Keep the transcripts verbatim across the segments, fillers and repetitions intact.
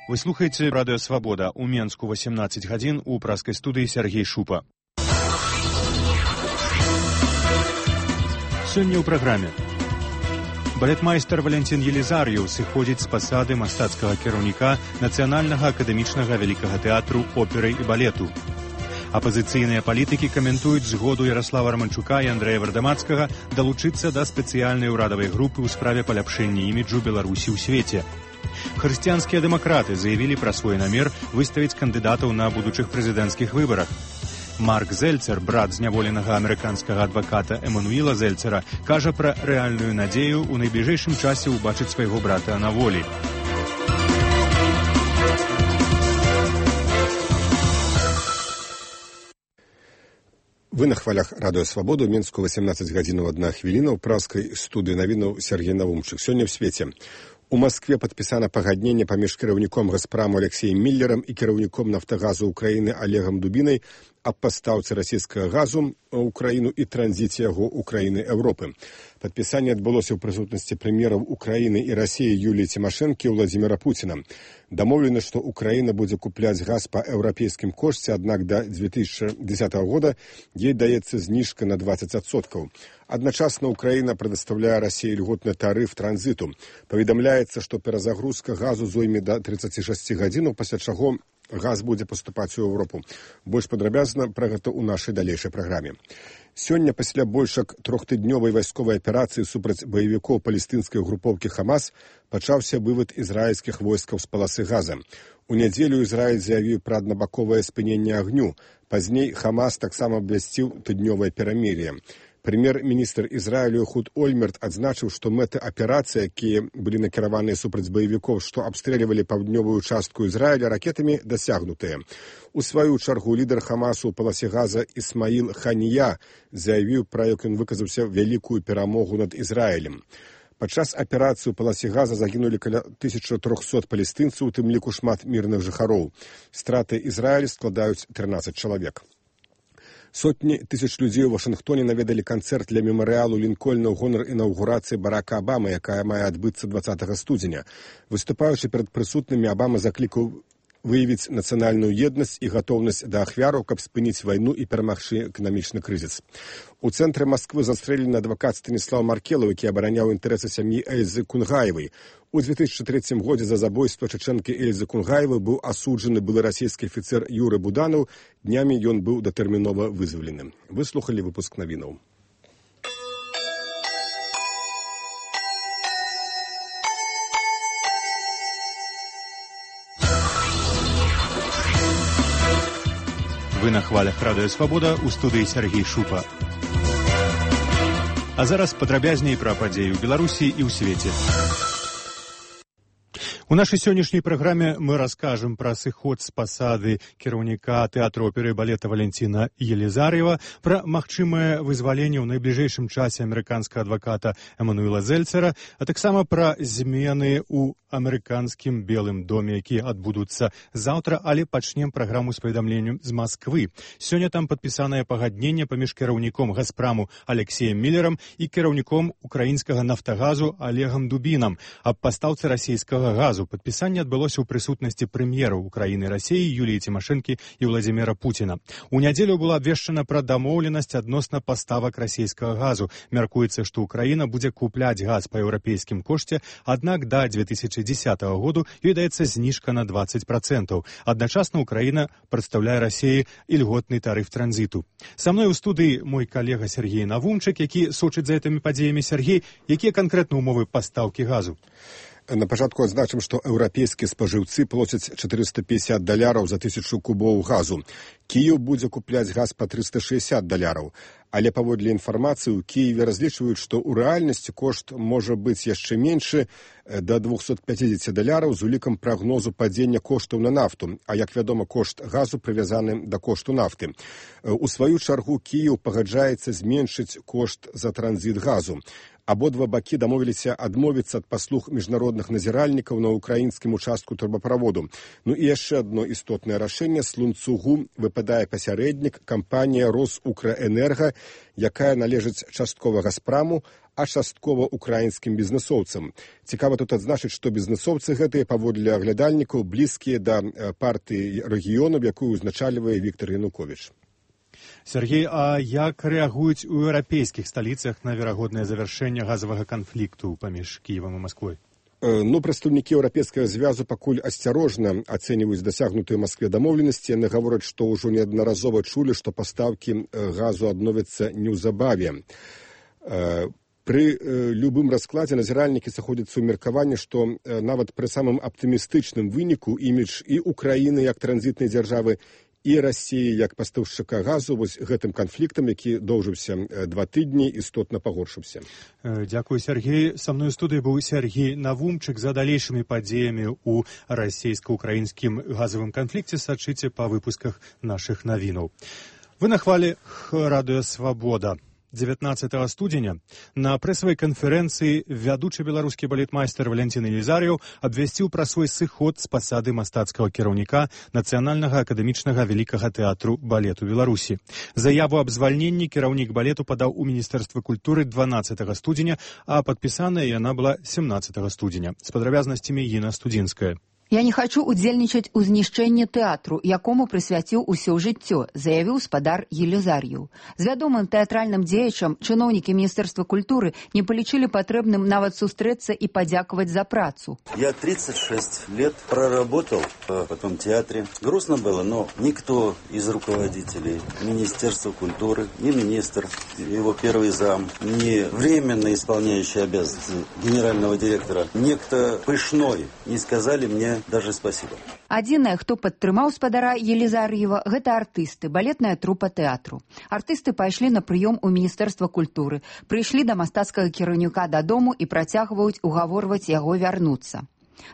Вы слухаеце радыё Свабода. У Менску восемнадцать гадзін, у праскай студыі Сергей Шупа. Сёння ў праграме. Балетмайстар Валентин Елизарьев сыходзіць з пасады мастацкага кіраўніка Нацыянальнага акадэмічнага вялікага тэатру оперы і балету. Апазіцыйныя палітыкі каментуюць згоду Ярослава Романчука і Андрэя Вардамацкага далучыцца да спецыяльнай урадавай групы ў справе паляпшэння іміджу Беларусі ў свеце. Хрысціянскія дэмакраты заявілі пра свой намер выставіць кандыдатаў на будучых прэзідэнцкіх выбарах. Марк Зельцер, брат зняволенага амерыканскага адваката Эмануіла Зельцера, кажа пра рэальную надзею ў найбліжэйшым часе ўбачыць свайго брата на волі. Вы на хвалях радыё Свабоду, Менску восемнадцать гадзінаў адна хвіліна, ў праскай студыі навінаў Сергей Навумчык. Сёння ў свеце. У Маскве падпісана пагадненне паміж кіраўніком Газпраму Алексеем Міллерам і кіраўніком Нафтагазу Украіны Олегам Дубінай аб пастаўцы расійскага газу ў Украіну і транзіце яго ў краіны Еўропы. Падпісанне адбылося ў прысутнасці прэм'ераў Украіны і Расіі Юліі Цімашэнкі і Владзіміра Пуціна. Дамоўлена, што Украіна будзе купляць газ па еўрапейскім кошце, аднак да две тысячи десятого года ей даецца зніжка на двадцать адсоткаў. Адначасна Украіна прадастаўляе Расіі льготны тарыф транзіту. Паведамляецца, што перазагрузка газу зойме да тридцати шести гадзінаў, пасля чаго газ будзе паступаць у Еўропу. Больш падрабязна пра гэта ў нашай далейшай праграме. Сёння, пасля больш як трохтыднёвай вайсковай аперацыі супраць баевікоў палестынскай групоўкі Хамас, пачаўся вывад ізраільскіх войскаў з паласы газа. У нядзелю Ізраіль заявіў пра аднабаковае спыненне агню. Пазней Хамас таксама абвясціў тыднёвае перамір'е. Прэм'ер-міністр Ізраілю Эхуд Ольмерт адзначыў, што мэты аперацыі, якія былі накіраваныя супраць баевікоў, што абстрэльвалі паўднёвую частку Ізраіля ракетамі, дасягнутыя. У сваю чаргу лідар Хамасу ў паласе газа Ісмаіл Ханія заявіў пра, як ён выказаўся, вялікую перамогу над Ізраілем. Падчас аперацыі ў паласе газа загінулі каля тысяча трохсот палестынцаў, у тым ліку шмат мірных жыхароў. Страты Ізраіля складаюць трынаццаць чалавек. Сотні тысяч людзей у Вашынгтоне наведалі канцэрт для мемарыялу Лінкольна ў гонар інаўгурацыі Барака Абамы, якая мае адбыцца двадцатага студзеня. Выступаючы перад прысутнымі, Абама заклікаў выявіць нацыянальную еднасць і гатоўнасць да ахвяраў, каб спыніць вайну і перамагчы эканамічны крызіс. У цэнтры Масквы застрэлены адвакат Станіслав Маркелаў, які абараняў інтарэсы сям'і Эльзы Кунгаевай. У две тысячи третьем годзе за забойства чачэнкі Эльзы Кунгаевай быў асуджаны былы расійскі афіцэр Юры Буданаў. Днямі ён быў датэрмінова вызвалены. Выслухалі выпуск навінаў. Вы на хвалях радыё Свабода, у студыі Сергей Шупа. А зараз падрабязней пра падзеі ў Беларусі і ў свеце. У нашай сённяшняй праграме мы раскажам пра сыход з пасады кіраўніка тэатру оперы і балета Валентина Елизарьева, пра магчымае вызваленне ў найбліжэйшым часе амерыканскага адваката Эмануіла Зельцера, а таксама пра змены ў амерыканскім Белым доме, якія адбудуцца заўтра, але пачнем праграму з паведамленнем з Масквы. Сёння там падпісанае пагадненне паміж кіраўніком Газпраму Алексеем Міллерам і кіраўніком украінскага Нафтагазу Олегам Дубінам аб пастаўцы расійскага газу. Падпісанне адбылося ў прысутнасці прэм'ераў Украіны і Расіі Юліі Цімашэнкі і Владзіміра Пуціна. У нядзелю была абвешчана пра дамоўленасць адносна паставак расійскага газу. Мяркуецца, што Украіна будзе купляць газ па еўрапейскім кошце, аднак да две тысячи десятого году ёй даецца зніжка на двадцать процентов. Адначасна Украіна прадстаўляе Расіі ільготны тарыф транзіту. Са мной у студыі мой калега Сергей Навумчык, які сочыць за гэтымі падзеямі. Сергей, якія канкрэтна ўмовы пастаўкі газу? На пачатку адзначым, што еўрапейскія спажыўцы плоцяць четыреста пятьдесят даляраў за тысячу кубоў газу. Кіеў будзе купляць газ па триста шестьдесят даляраў. Але паводле інфармацыі, у Кіеве разлічваюць, што ў рэальнасці кошт можа быць яшчэ меншы, да двухсот пятидесяти даляраў з улікам прагнозу падзення коштаў на нафту. А як вядома, кошт газу прывязаны да кошту нафты. У сваю чаргу Кіеў пагаджаецца зменшыць кошт за транзіт газу. Абодва бакі дамовіліся адмовіцца ад паслуг міжнародных назіральнікаў на ўкраінскім участку турбаправоду. Ну і яшчэ адно істотнае рашэнне. З ланцугу выпадае пасярэднік, кампанія Росукраэнерга, якая належыць часткова «Газпраму», а часткова украінскім бізнесоўцам. Цікава тут адзначыць, што бізнесоўцы гэтыя, паводле аглядальнікаў, блізкія да партыі рэгіёнаў, якую узначальвае Віктор Януковіч. Сергей, а як рэагуюць у еўрапейскіх сталіцах на верагоднае завяршэнне газавага канфлікту паміж Кіевам і Масквой? Ну, прадстаўнікі еўрапейскага звязу пакуль асцярожна ацэньваюць дасягнутыя ў Маскве дамоўленасці. Яны гавораць, што ўжо неаднаразова чулі, што пастаўкі газу адновяцца неўзабаве. Пры любым раскладзе назіральнікі сыходзяцца ў меркаванне, што нават пры самым аптымістычным выніку імідж і Украіны як транзітнай дзяржавы, і Расіі як пастаўшчыка газу вось гэтым канфліктам, які доўжыўся два тыдні, істотна пагоршыўся. Дзякую, Сергей. Са мной у студыі быў Сергей Навумчык. За далейшымі падзеямі ў расійска-украінскім газавым канфлікце сачыце па выпусках нашых навінаў. Вы на хвалі радыё «Свабода». дзевятнаццатага студзеня на прэсавай канферэнцыі вядучы беларускі балетмайстар Валянцін Елізар'еў абвясціў пра свой сыход з пасады мастацкага кіраўніка Нацыянальнага акадэмічнага вялікага тэатру балету Беларусі. Заяву аб звальненні кіраўнік балету падаў у Міністэрства культуры дванаццатага студзеня, а падпісаная яна была семнаццатага студзеня. З падрабязнасцямі Іна Студзінская. «Я не хочу удзельнічаць у знішчэнні тэатру, якому прысвяціў усё жыццё», заявіў спадар Елізар'еў. З вядомым тэатральным дзеячам чыноўнікі Міністэрства культуры не палічылі патрэбным нават сустрэцца і падзякаваць за працу. Я тридцать шесть лет проработал в этом театре. Грустно было, но никто из руководителей Министерства культуры, ни министр, его первый зам, ни временно исполняющий обязанности генерального директора, некто Пышной не сказали мне даже спасибо. Адзінае, хто падтрымаў спадара Елізар'ева, гэта артысты, балетная трупа тэатру. Артысты пайшлі на прыём у Міністэрства культуры, прыйшлі да мастацкага кіраўніка дадому і працягваюць угаворваць яго вярнуцца.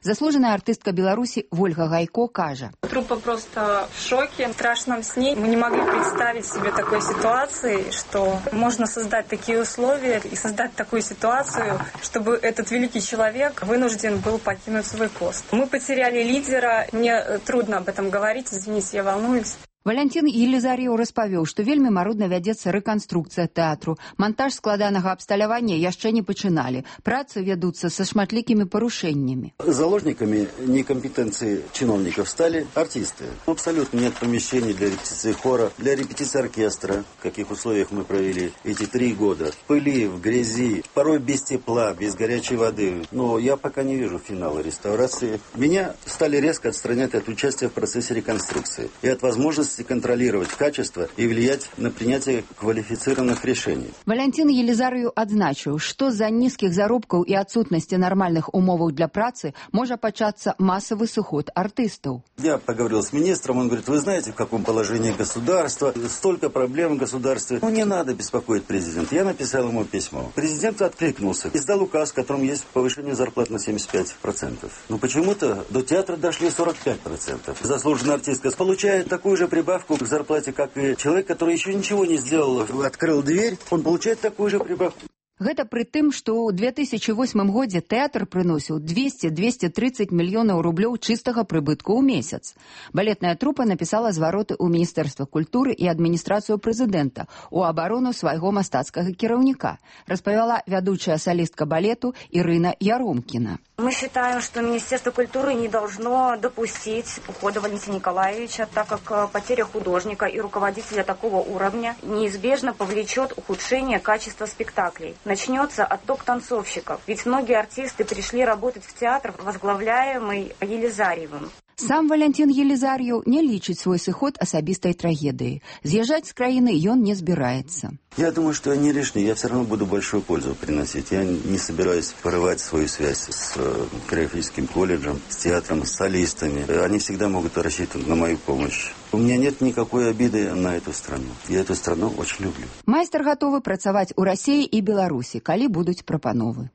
Заслуженная артистка Беларуси Вольга Гайко кажа. Труппа просто в шоке, в страшном сне. Мы не могли представить себе такой ситуации, что можно создать такие условия и создать такую ситуацию, чтобы этот великий человек вынужден был покинуть свой пост. Мы потеряли лидера, мне трудно об этом говорить, извините, я волнуюсь. Валянцін Елізар'еў распавёў, што вельмі марудна вядзецца рэканструкцыя тэатру. Монтаж складанага абсталявання яшчэ не пачыналі. Працы вядуцца са шматлікімі парушэннямі. Заложниками некомпетенции чиновников стали артисты. Абсолютно нет помещений для репетиции хора, для репетиции оркестра, в каких условиях мы провели эти три года. В пыли, в грязи, порой без тепла, без горячей воды. Но я пока не вижу финала реставрации. Меня стали резко отстранять от участия в процессе реконструкции и от возможности контролировать качество и влиять на принятие квалифицированных решений. Валянцін Елізар'еў адзначыў, што з-за нізкіх заробкаў і адсутнасці нармальных умоваў для працы можа пачацца масавы сыход артыстаў. Я поговорил с министром, он говорит, вы знаете, в каком положении государство, столько проблем в государстве. Ну, не надо беспокоить президента. Я написал ему письмо. Президент откликнулся, издал указ, в котором есть повышение зарплат на семьдесят пять процентов. Но почему-то до театра дошли сорок пять процентов. Заслуженная артистка получает такую же прибавку к зарплате, как и человек, который еще ничего не сделал, открыл дверь, он получает такую же прибавку. Гэта пры тым, што ў две тысячы восьмым годзе тэатр прыносіў двести - двести тридцать мільёнаў рублёў чыстага прыбытку ў месяц. Балетная трупа напісала звароты ў Міністэрства культуры і адміністрацыю прэзідэнта у абарону свайго мастацкага кіраўніка, распавяла вядучая салістка балету Ірына Яромкіна. Мы считаем, что Министерство культуры не должно допустить ухода Валентина Николаевича, так как потеря художника и руководителя такого уровня неизбежно повлечет ухудшение качества спектаклей. Начнется отток танцовщиков, ведь многие артисты пришли работать в театр, возглавляемый Елізар'евым. Сам Валянцін Елізар'еў не лічыць свой сыход асабістай трагедыяй. З'язджаць з краіны ён не збіраецца. Я думаю, что я не лишний, я все равно буду большую пользу приносить. Я не собираюсь порывать свою связь с хореографическим колледжем, с театром, с солистами. Они всегда могут рассчитывать на мою помощь. У меня нет никакой обиды на эту страну. Я эту страну очень люблю. Майстар гатовы працаваць у Расіі і Беларусі, калі будуць прапановы.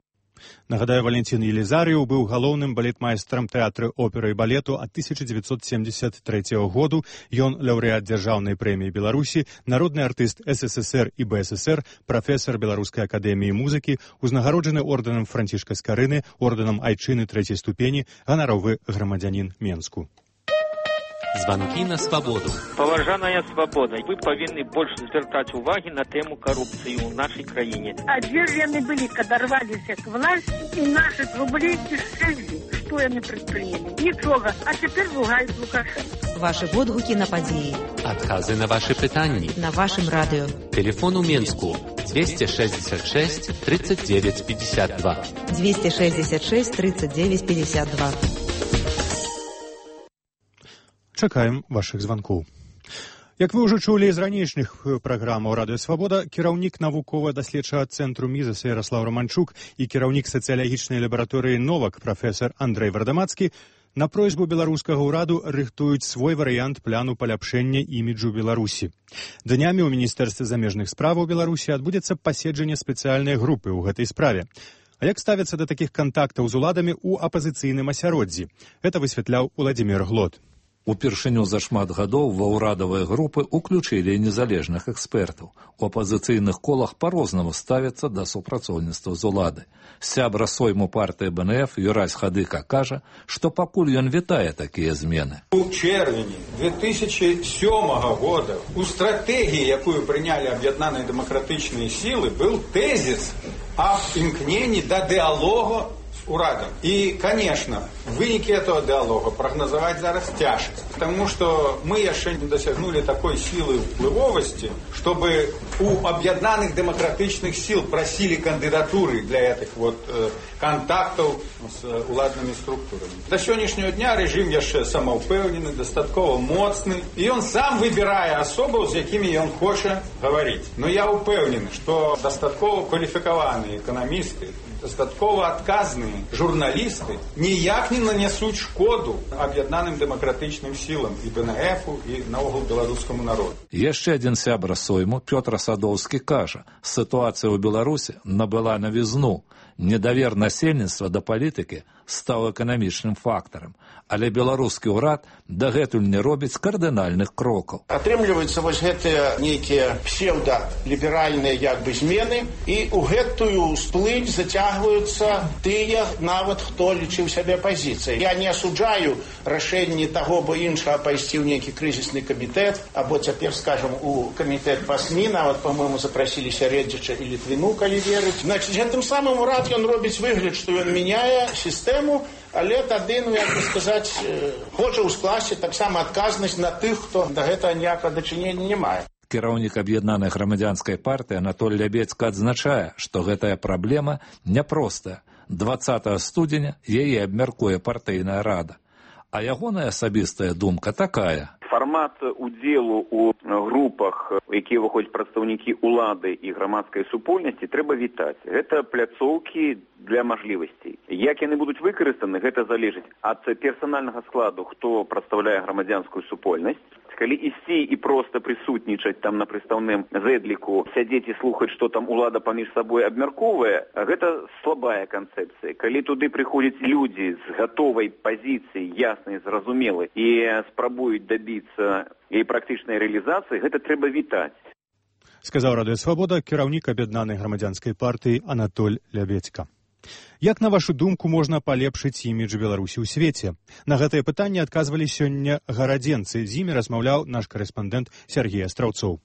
Нагадаю, Валянцін Елізар'еў быў галоўным балетмайстрам тэатры оперы і балету ад тысяча дзевяцьсот семьдесят трэцяга году. Ён лаўрэат дзяржаўнай прэміі Беларусі, народны артыст эс эс эс эр і бэ эс эс эр, прафесар Беларускай акадэміі музыкі, узнагароджаны ордэнам Францішка Скарыны, ордэнам айчыны трэцяй ступені, ганаровы грамадзянін Менску. Звонки на свободу. Поважаная свобода, вы повинны больше звертать уваги на тему коррупции в нашей краине. А где же они были, когда рвались к власти и наши рублей кишели? Что они предприняли? Ничего. А теперь ругают Лукашенко. Ваши водгуки на події. Отказы на ваши питания. На вашем радио. Телефон у Минску двести шестьдесят шесть тридцать девять пятьдесят два. двести шестьдесят шесть тридцать девять пятьдесят два. Чакаем вашых звонкоў. Як вы ўжо чулі з ранейшых праграмаў Радыё Свабода, кіраўнік навукова-даследчага цэнтру Мізаса Ярослав Романчук і кіраўнік сацыялагічнай лабараторыі «Новак» прафесор Андрэй Вардамацкі на просьбу беларускага ўраду рыхтуюць свой варыянт пляну паляпшэння іміджу Беларусі. Днямі ў Міністэрстве замежных справаў Беларусі адбудзецца паседжанне спецыяльнай групы ў гэтай справе. А як ставяцца да такіх кантактаў з уладамі ў апазіцыйным асяроддзі? Гэта высвятляў Уладзімір Глот. Упершыню за шмат гадоў ва ўрадавыя групы ўключылі незалежных экспертаў. У апазіцыйных колах па-рознаму ставяцца да супрацоўніцтва з улады. Сябра сойму партыі бэ эн эф Юрась Хадыка кажа, што пакуль ён вітае такія змены. У чэрвені две тысячи сёмага года у стратэгіі, якую прынялі аб'яднаныя дэмакратычныя сілы, быў тэзіс аб імкненні да дыалогу урадом. И, конечно, выники этого диалога прогнозовать зараз тяжко, потому что мы еще не досягнули такой силы впливовости, чтобы у объединенных демократичных сил просили кандидатуры для этих вот э, контактов с э, уладными структурами. До сегодняшнего дня режим еще самоупевненный, достаточно моцный, и он сам выбирает особо, с якими он хочет говорить. Но я упевнен, что достаточно квалификованные экономисты, достатково адказныя журналісты ніяк не нанесуць шкоду аб'яднаным дэмакратычным сілам і бэ эн эфу, і наогул беларускаму народу. Яшчэ адзін сябра сойму, Пётр Садоўскі, кажа, сітуацыя ў Беларусі набыла навізну. Недавер насельніцтва да палітыкі стаў эканамічным фактарам, але беларускі ўрад дагэтуль не робіць кардынальных крокаў. Атрымліваюцца вось гэтыя нейкія псеўдаліберальныя як бы змены, і ў гэтую сплынь зацягваюцца тыя, нават хто лічыў сябе апазіцыяй. Я не асуджаю рашэнні таго бо іншага пайсці ў нейкі крызісны камітэт, або цяпер, скажам, у камітэт па СМІ, нават, па-мойму, запрасілі Сярэдзіча і Літвіну, калі верыць. Значыць, гэтым самым урад ён робіць выгляд, што ён мяняе сістэму, але тады, ну, як бы сказаць, хоча ўскласці таксама адказнасць на тых, хто да гэтага ніякага дачынення не мае. Кіраўнік аб'яднанай грамадзянскай партыі Анатоль Лябецька адзначае, што гэтая праблема няпростая. дваццатага студзеня яе абмяркуе партыйная рада. А ягоная асабістая думка такая. Фармат удзелу ў групах, якія выходзяць прадстаўнікі ўлады і грамадскай супольнасці, трэба вітаць. Гэта пляцоўкі для мажлівасцей. Як яны будуць выкарыстаны, гэта залежыць ад персанальнага складу, хто прадстаўляе грамадзянскую супольнасць. Калі ісці і проста прысутнічаць там на прыстаўным зэдліку, сядзець і слухаць, што там улада паміж сабой абмяркоўвае, гэта слабая канцэпцыя. Калі туды прыходзяць людзі з гатовай пазіцыяй, яснай, зразумелай, і спрабуюць дабіцца яе практычнай рэалізацыі, гэта трэба вітаць. Сказаў Радыё Свабода кіраўнік аб'яднанай грамадзянскай партыі Анатоль Лябецька. Як, на вашу думку, можна палепшыць імідж Беларусі ў свеце? На гэтае пытанне адказвалі сёння гарадзенцы. З імі размаўляў наш корэспандэнт Сергей Астраўцоў.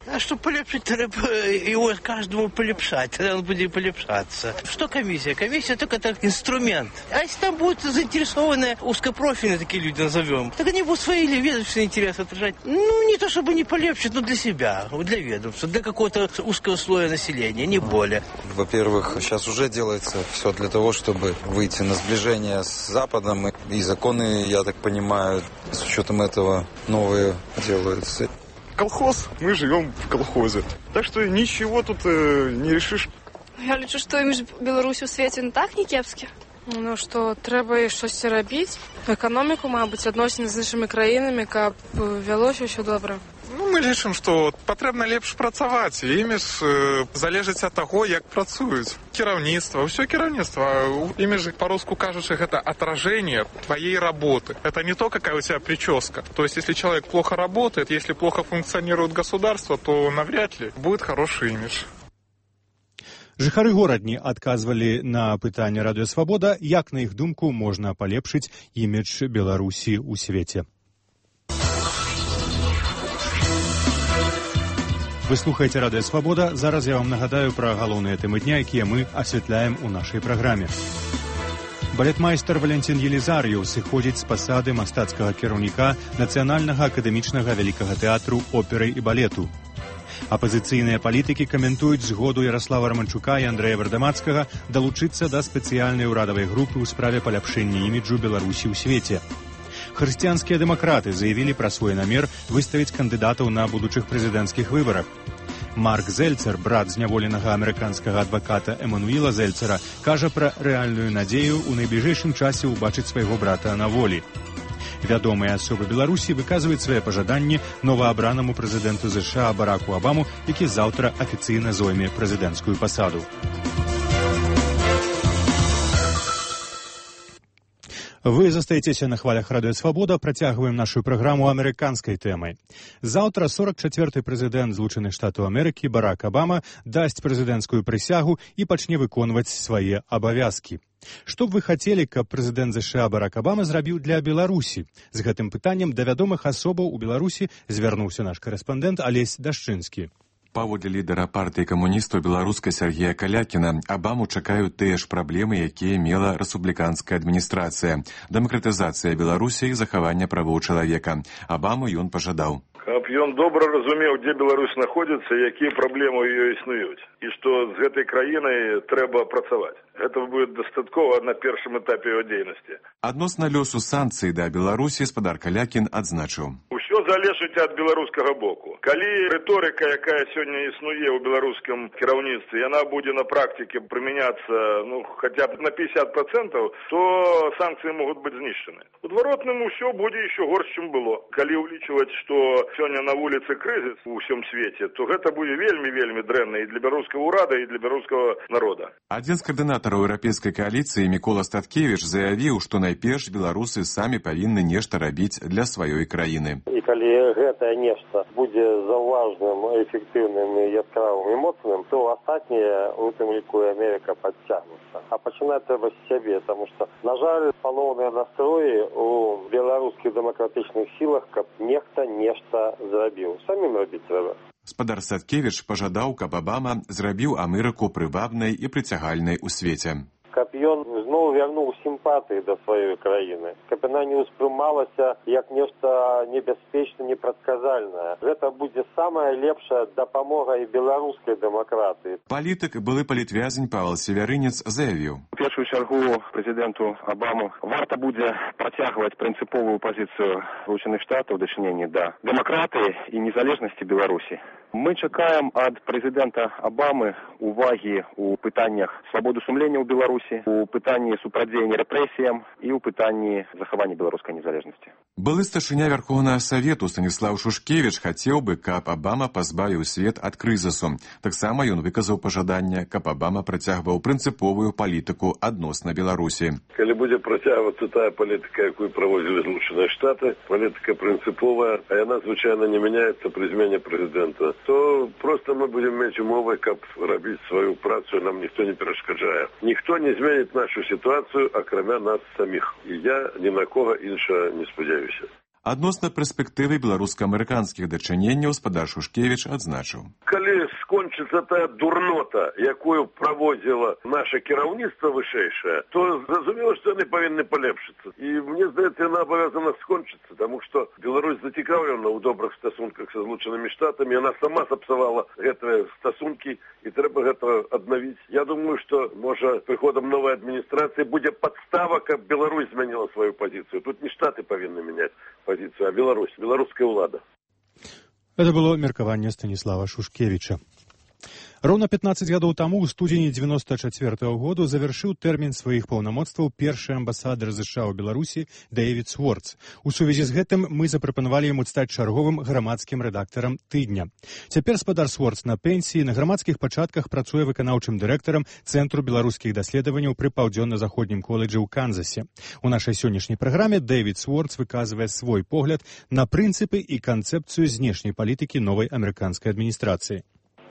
А что полепшить, треба его каждому полепшать, тогда он будет полепшаться. Что комиссия? Комиссия только так инструмент. А если там будут заинтересованные узкопрофильные такие люди, назовем, так они будут свои ведомственные интересы отражать. Ну, не то чтобы не полепшить, но для себя, для ведомства, для какого-то узкого слоя населения, не более. Во-первых, сейчас уже делается все для того, чтобы выйти на сближение с Западом. И законы, я так понимаю, с учетом этого новые делаются. Колхоз, мы живем в колхозе. Так что ничего тут э, не решишь. Я лічу, што імідж Беларусі ў свеце не так не кепскі. Ну, што трэба штось рабіць. Эканоміку, мабыць, адносіны з іншымі краінамі, каб вялося ўсё добра. Ну, мы лічым, што патрэбна лепш працаваць. Імідж э, залежыць ад таго, як працуюць. Кіраўніцтва, ўсё кіраўніцтва. Імідж, па-руску кажучы, гэта отражение твоей работы. Это не то, какая у тебя прическа. То есть, если человек плохо работает, если плохо функционирует государство, то навряд ли будет хороший имидж. Жыхары горадні адказвалі на пытанне Радыё Свабода, як, на іх думку, можна палепшыць імідж Беларусі ў свеце. Вы слухаеце радыё Свабода. Зараз я вам нагадаю пра галоўныя тэмы дня, якія мы асвятляем у нашай праграме. Балетмайстар Валентин Елизарьев сыходзіць з пасады мастацкага кіраўніка Нацыянальнага акадэмічнага вялікага тэатру оперы і балету. Апазіцыйныя палітыкі каментуюць згоду Ярослава Романчука і Андрэя Вардамацкага далучыцца да спецыяльнай урадавай групы ў справе паляпшэння іміджу Беларусі ў свеце. Хрысціянскія дэмакраты заявілі пра свой намер выставіць кандыдатаў на будучых прэзідэнцкіх выбарах. Марк Зельцер, брат зняволенага амерыканскага адваката Эмануіла Зельцера, кажа пра рэальную надзею ў найбліжэйшым часе ўбачыць свайго брата на волі. Вядомыя асобы Беларусі выказваюць свае пажаданні новаабранаму прэзідэнту ЗША Бараку Абаму, які заўтра афіцыйна зойме прэзідэнцкую пасаду. Вы застаецеся на хвалях радыё Свабода, працягваем нашу праграму амерыканскай тэмай. Заўтра сорок чацвёрты прэзідэнт Злучаных Штатаў Амерыкі Барак Абама дасць прэзідэнцкую прысягу і пачне выконваць свае абавязкі. Што б вы хацелі, каб прэзідэнт ЗША Барак Абама зрабіў для Беларусі? З гэтым пытаннем да вядомых асобаў у Беларусі звярнуўся наш карэспандэнт Алесь Дашчынскі. Паводле лідара партыі камуністаў беларускай Сергея Калякіна, Абаму чакаюць тыя ж праблемы, якія мела рэспубліканская адміністрацыя. Дэмакратызацыя Беларусі і захаванне правоў чалавека. Абаму ён пажадаў. Каб ён добра разумеў, дзе Беларусь знаходзіцца, якія праблемы ў ёй існуюць, і што з гэтай краінай трэба працаваць. Гэта будзе дастаткова на першым этапе яго дзейнасці. Адносна лёсу санкцый да Беларусі спадар Калякін адзначыў. Усё залежыць ад беларускага боку. Калі рыторыка, якая сёння існуе ў беларускім кіраўніцтве, яна будзе на практыке прымяняцца, ну, хаця б на пятьдесят процентов, то санкцыі могуць быць знішчаны. У адваротным усё будзе ещё горш, чым было. Калі ўлічваць, што сёння на вуліцы крызіс у ўсім свеце, то гэта будзе вельмі-вельмі дрэнна і для беларускага ўрада, і для беларускага народа. Адзін з каардынатараў еўрапейскай кааліцыі Мікола Статкевіч заявіў, што найперш беларусы самі павінны нешта рабіць для сваёй краіны. І калі гэтае нешта будзе заўважным, эфектыўным і яскравым і моцным, то астатняе, у тым ліку і Амерыка, падцягнуцца. А пачынаць трэба з сябе, таму што, на жаль, палоўныя настроі у беларускіх дэмакратычных сілах, каб нехта нешта зрабіў. Самім рабіць трэба. Спадар Саткевіч пажадаў, каб Абама зрабіў Амерыку прывабнай і прыцягальнай у свеце. Каб ён зноў вярнуў сімпатыі да сваёй краіны, каб яна не ўспрымалася як нешта небяспечна, непрадказальнае. Гэта будзе самая лепшая дапамога і беларускай дэмакратыі. Палітык, былы палітвязень Павел Севярынец заявіў. У першую чаргу прэзідэнту Абаму варта будзе працягваць прынцыповую пазіцыю Злучаных Штатаў у дачыненні да дэмакратыі і незалежнасці Беларусі. Мы чакаем ад прэзідэнта Абамы увагі ў пытаннях свабоды сумлення ў Беларусі, у пытанні супрацьдзеяння рэпрэсіям і ў пытанні захавання беларускай незалежнасці. Былы старшыня Вярхоўнага Савету Станіслаў Шушкевіч хацеў бы, каб Абама пазбавіў свет ад крызісу. Таксама ён выказаў пажаданне, каб Абама працягваў прынцыповую палітыку адносна Беларусі. Калі будзе працягвацца тая палітыка, якую праводзілі Злучаныя Штаты, палітыка прынцыповая, а яна звычайна не мяняецца пры змене прэзідэнта, то просто мы будем мець умовы, каб рабіць сваю працу, нам ніхто не перашкаджае. Ніхто не зменіць нашу сітуацыю, акрамя нас саміх. І я ні на кого іншага не спадзяюся. Адносна перспектывы беларуска-амерыканскіх дачыненняў спадар Шушкевіч адзначыў. Калі скончыцца тая дурнота, якую праводзіла наша кіраўніцтва вышэйшае, то зразумела, што яны павінны палепшыцца. І мне здаецца, яна абавязана скончыцца, таму што Беларусь зацікаўлена ў добрых стасунках са Злучанымі Штатамі, яна сама сапсавала гэтыя стасункі, і трэба гэта аднавіць. Я думаю, што, можа, прыходам новай адміністрацыі будзе падстава, каб Беларусь змяніла сваю пазіцыю. Тут не Штаты павінны мяняць позицию, а Беларусь, белорусская влада. Это было меркаванне Станіслава Шушкевіча. Роўна пятнаццаць гадоў таму, у студзені дзевяносто чацвёртага году, завяршыў тэрмін сваіх паўнамоцтваў першы амбасадар ЗША ў Беларусі Дэвід Сворц. У сувязі з гэтым мы запрапанавалі яму стаць чарговым грамадскім рэдактарам тыдня. Цяпер спадар Сворц на пенсіі, на грамадскіх пачатках працуе выканаўчым дырэктарам Цэнтру беларускіх даследаванняў пры паўдзённа-заходнім коледжы ў Канзасе. У нашай сённяшняй праграме Дэвід Сворц выказвае свой погляд на прынцыпы і канцэпцыю знешняй палітыкі новай амерыканскай адміністрацыі.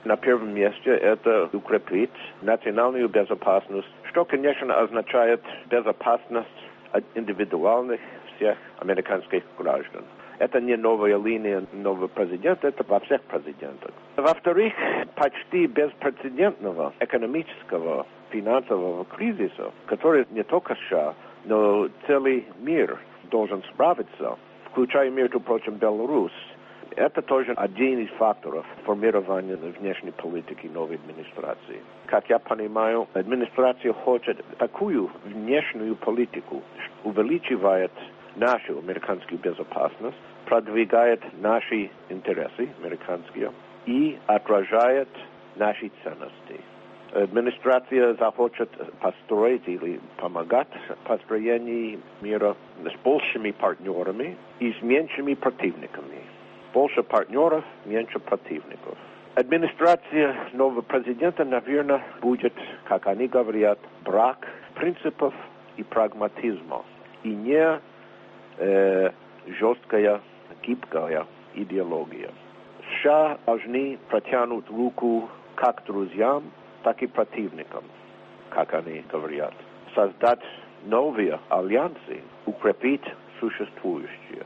На первом месте это укрепить национальную безопасность, что, конечно, означает безопасность от индивидуальных всех американских граждан. Это не новая линия нового президента, это во всех президентах. Во-вторых, почти беспрецедентного экономического финансового кризиса, который не только США, но целый мир должен справиться, включая, между прочим, Беларусь. Это тоже один из факторов формирования внешней политики новой администрации. Как я понимаю, администрация хочет такую внешнюю политику, увеличивает нашу американскую безопасность, продвигает наши интересы американские и отражает наши ценности. Администрация захочет построить или помогать в построении мира с большими партнерами и с меньшими противниками. Больше партнеров, меньше противников. Администрация нового президента, наверное, будет, как они говорят, брак принципов и прагматизма. И не э, жесткая, гибкая идеология. США должны протянуть руку как друзьям, так и противникам, как они говорят. Создать новые альянсы, укрепить существующие.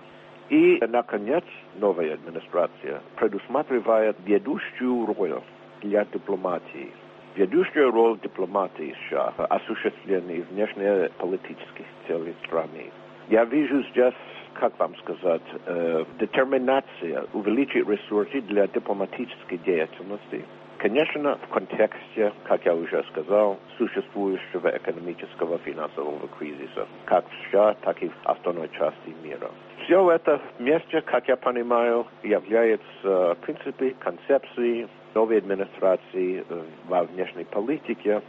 И, наконец, новая администрация предусматривает ведущую роль для дипломатии. Ведущая роль дипломатии США в осуществлении внешнеполитических целей страны. Я вижу здесь, как вам сказать, э, детерминация увеличить ресурсы для дипломатической деятельности. Конечно, в контексте, как я уже сказал, существующего экономического финансового кризиса, как в США, так и в остальной части мира. Все это вместе, как я понимаю, является принципами, концепцией новой администрации во внешней политике.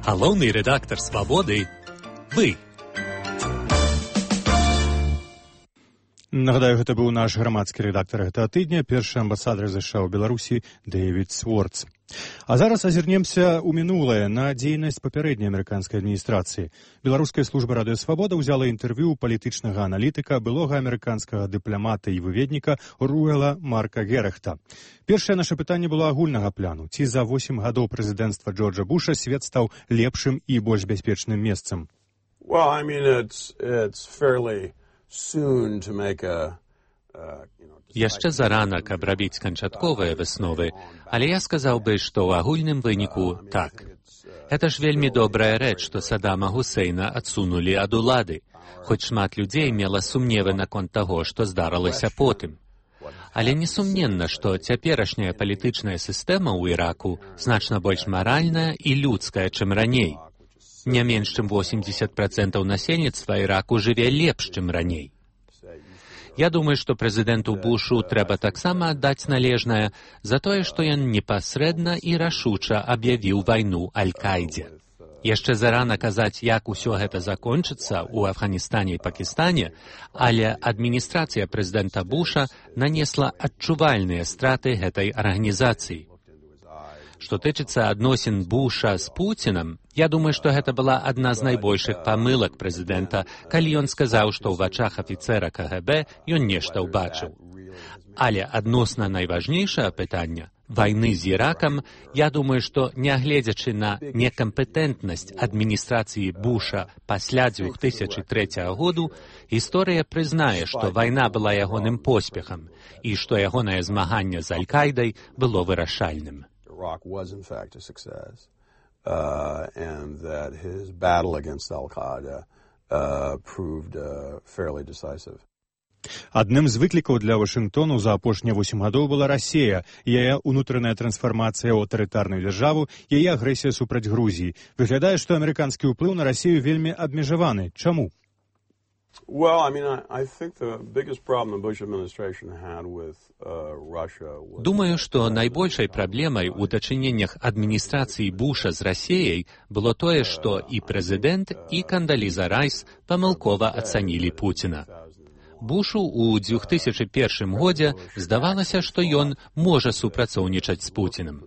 Галоўны редактор «Свободы» – вы. Нагадаю, гэта быў наш грамадскі рэдактар гэтага тыдня, першы амбасадар ЗША ў Беларусі Дэвід Сворц. А зараз азірнемся ў мінулае на дзейнасць папярэдняй амерыканскай адміністрацыі. Беларуская служба радыё «Свабода» ўзяла інтэрв'ю палітычнага аналітыка, былога амерыканскага дыпламата і выведніка Руэла Марка Герахта. Першае наша пытанне было агульнага пляну. Ці за восем гадоў прэзідэнцтва Джорджа Буша свет стаў лепшым і больш бяспечным месцам? Well, I mean, it's, it's fairly... Яшчэ зарана, каб рабіць канчатковыя высновы, але я сказаў бы, што ў агульным выніку так. Гэта ж вельмі добрая рэч, што Саддама Гусейна адсунулі ад улады, хоць шмат людзей мела сумневы наконт таго, што здарылася потым. Але несумненна, што цяперашняя палітычная сістэма ў Іраку значна больш маральная і людская, чым раней. Не менш чым восемьдесят процентаў насельніцтва Іраку жыве лепш, чым раней. Я думаю, што прэзідэнту Бушу трэба таксама аддаць належнае за тое, што ён непасрэдна і рашуча аб'явіў вайну Аль-Каідзе. Яшчэ зарана казаць, як усё гэта закончыцца ў Афганістане і Пакістане, але адміністрацыя прэзідэнта Буша нанесла адчувальныя страты гэтай арганізацыі. Што тычыцца адносін Буша з Пуцінам, я думаю, што гэта была адна з найбольшых памылак прэзідэнта, калі ён сказаў, што ў вачах афіцэра КГБ ён нешта ўбачыў. Але адносна найважнейшае пытання вайны з Іракам, я думаю, што нягледзячы на некампетэнтнасць адміністрацыі Буша пасля две тысячи трэцяга году, гісторыя прызнае, што вайна была ягоным поспехам і што ягонае змаганне з Аль-Кайдай было вырашальным. Iraq was in fact a success, uh, and that his battle against Al-Qaeda uh, proved uh, fairly decisive. Адным з выклікаў для Вашынгтону за апошнія восем гадоў была Расія, яе ўнутраная трансфармацыя ў аўтарытарную дзяржаву, яе агрэсія супраць Грузіі. Выглядае, што амерыканскі ўплыў на Расію вельмі абмежаваны. Чаму? Well, I mean, I, I think the biggest problem the Bush administration had with uh, Russia was... Думаю, што найбольшай праблемай у дачыненнях адміністрацыі Буша з Расіяй было тое, што і прэзідэнт, і Кандаліза Райс памылкова ацанілі Пуціна. Бушу ў две тысячи першым годзе здавалася, што ён можа супрацоўнічаць з Пуцінам.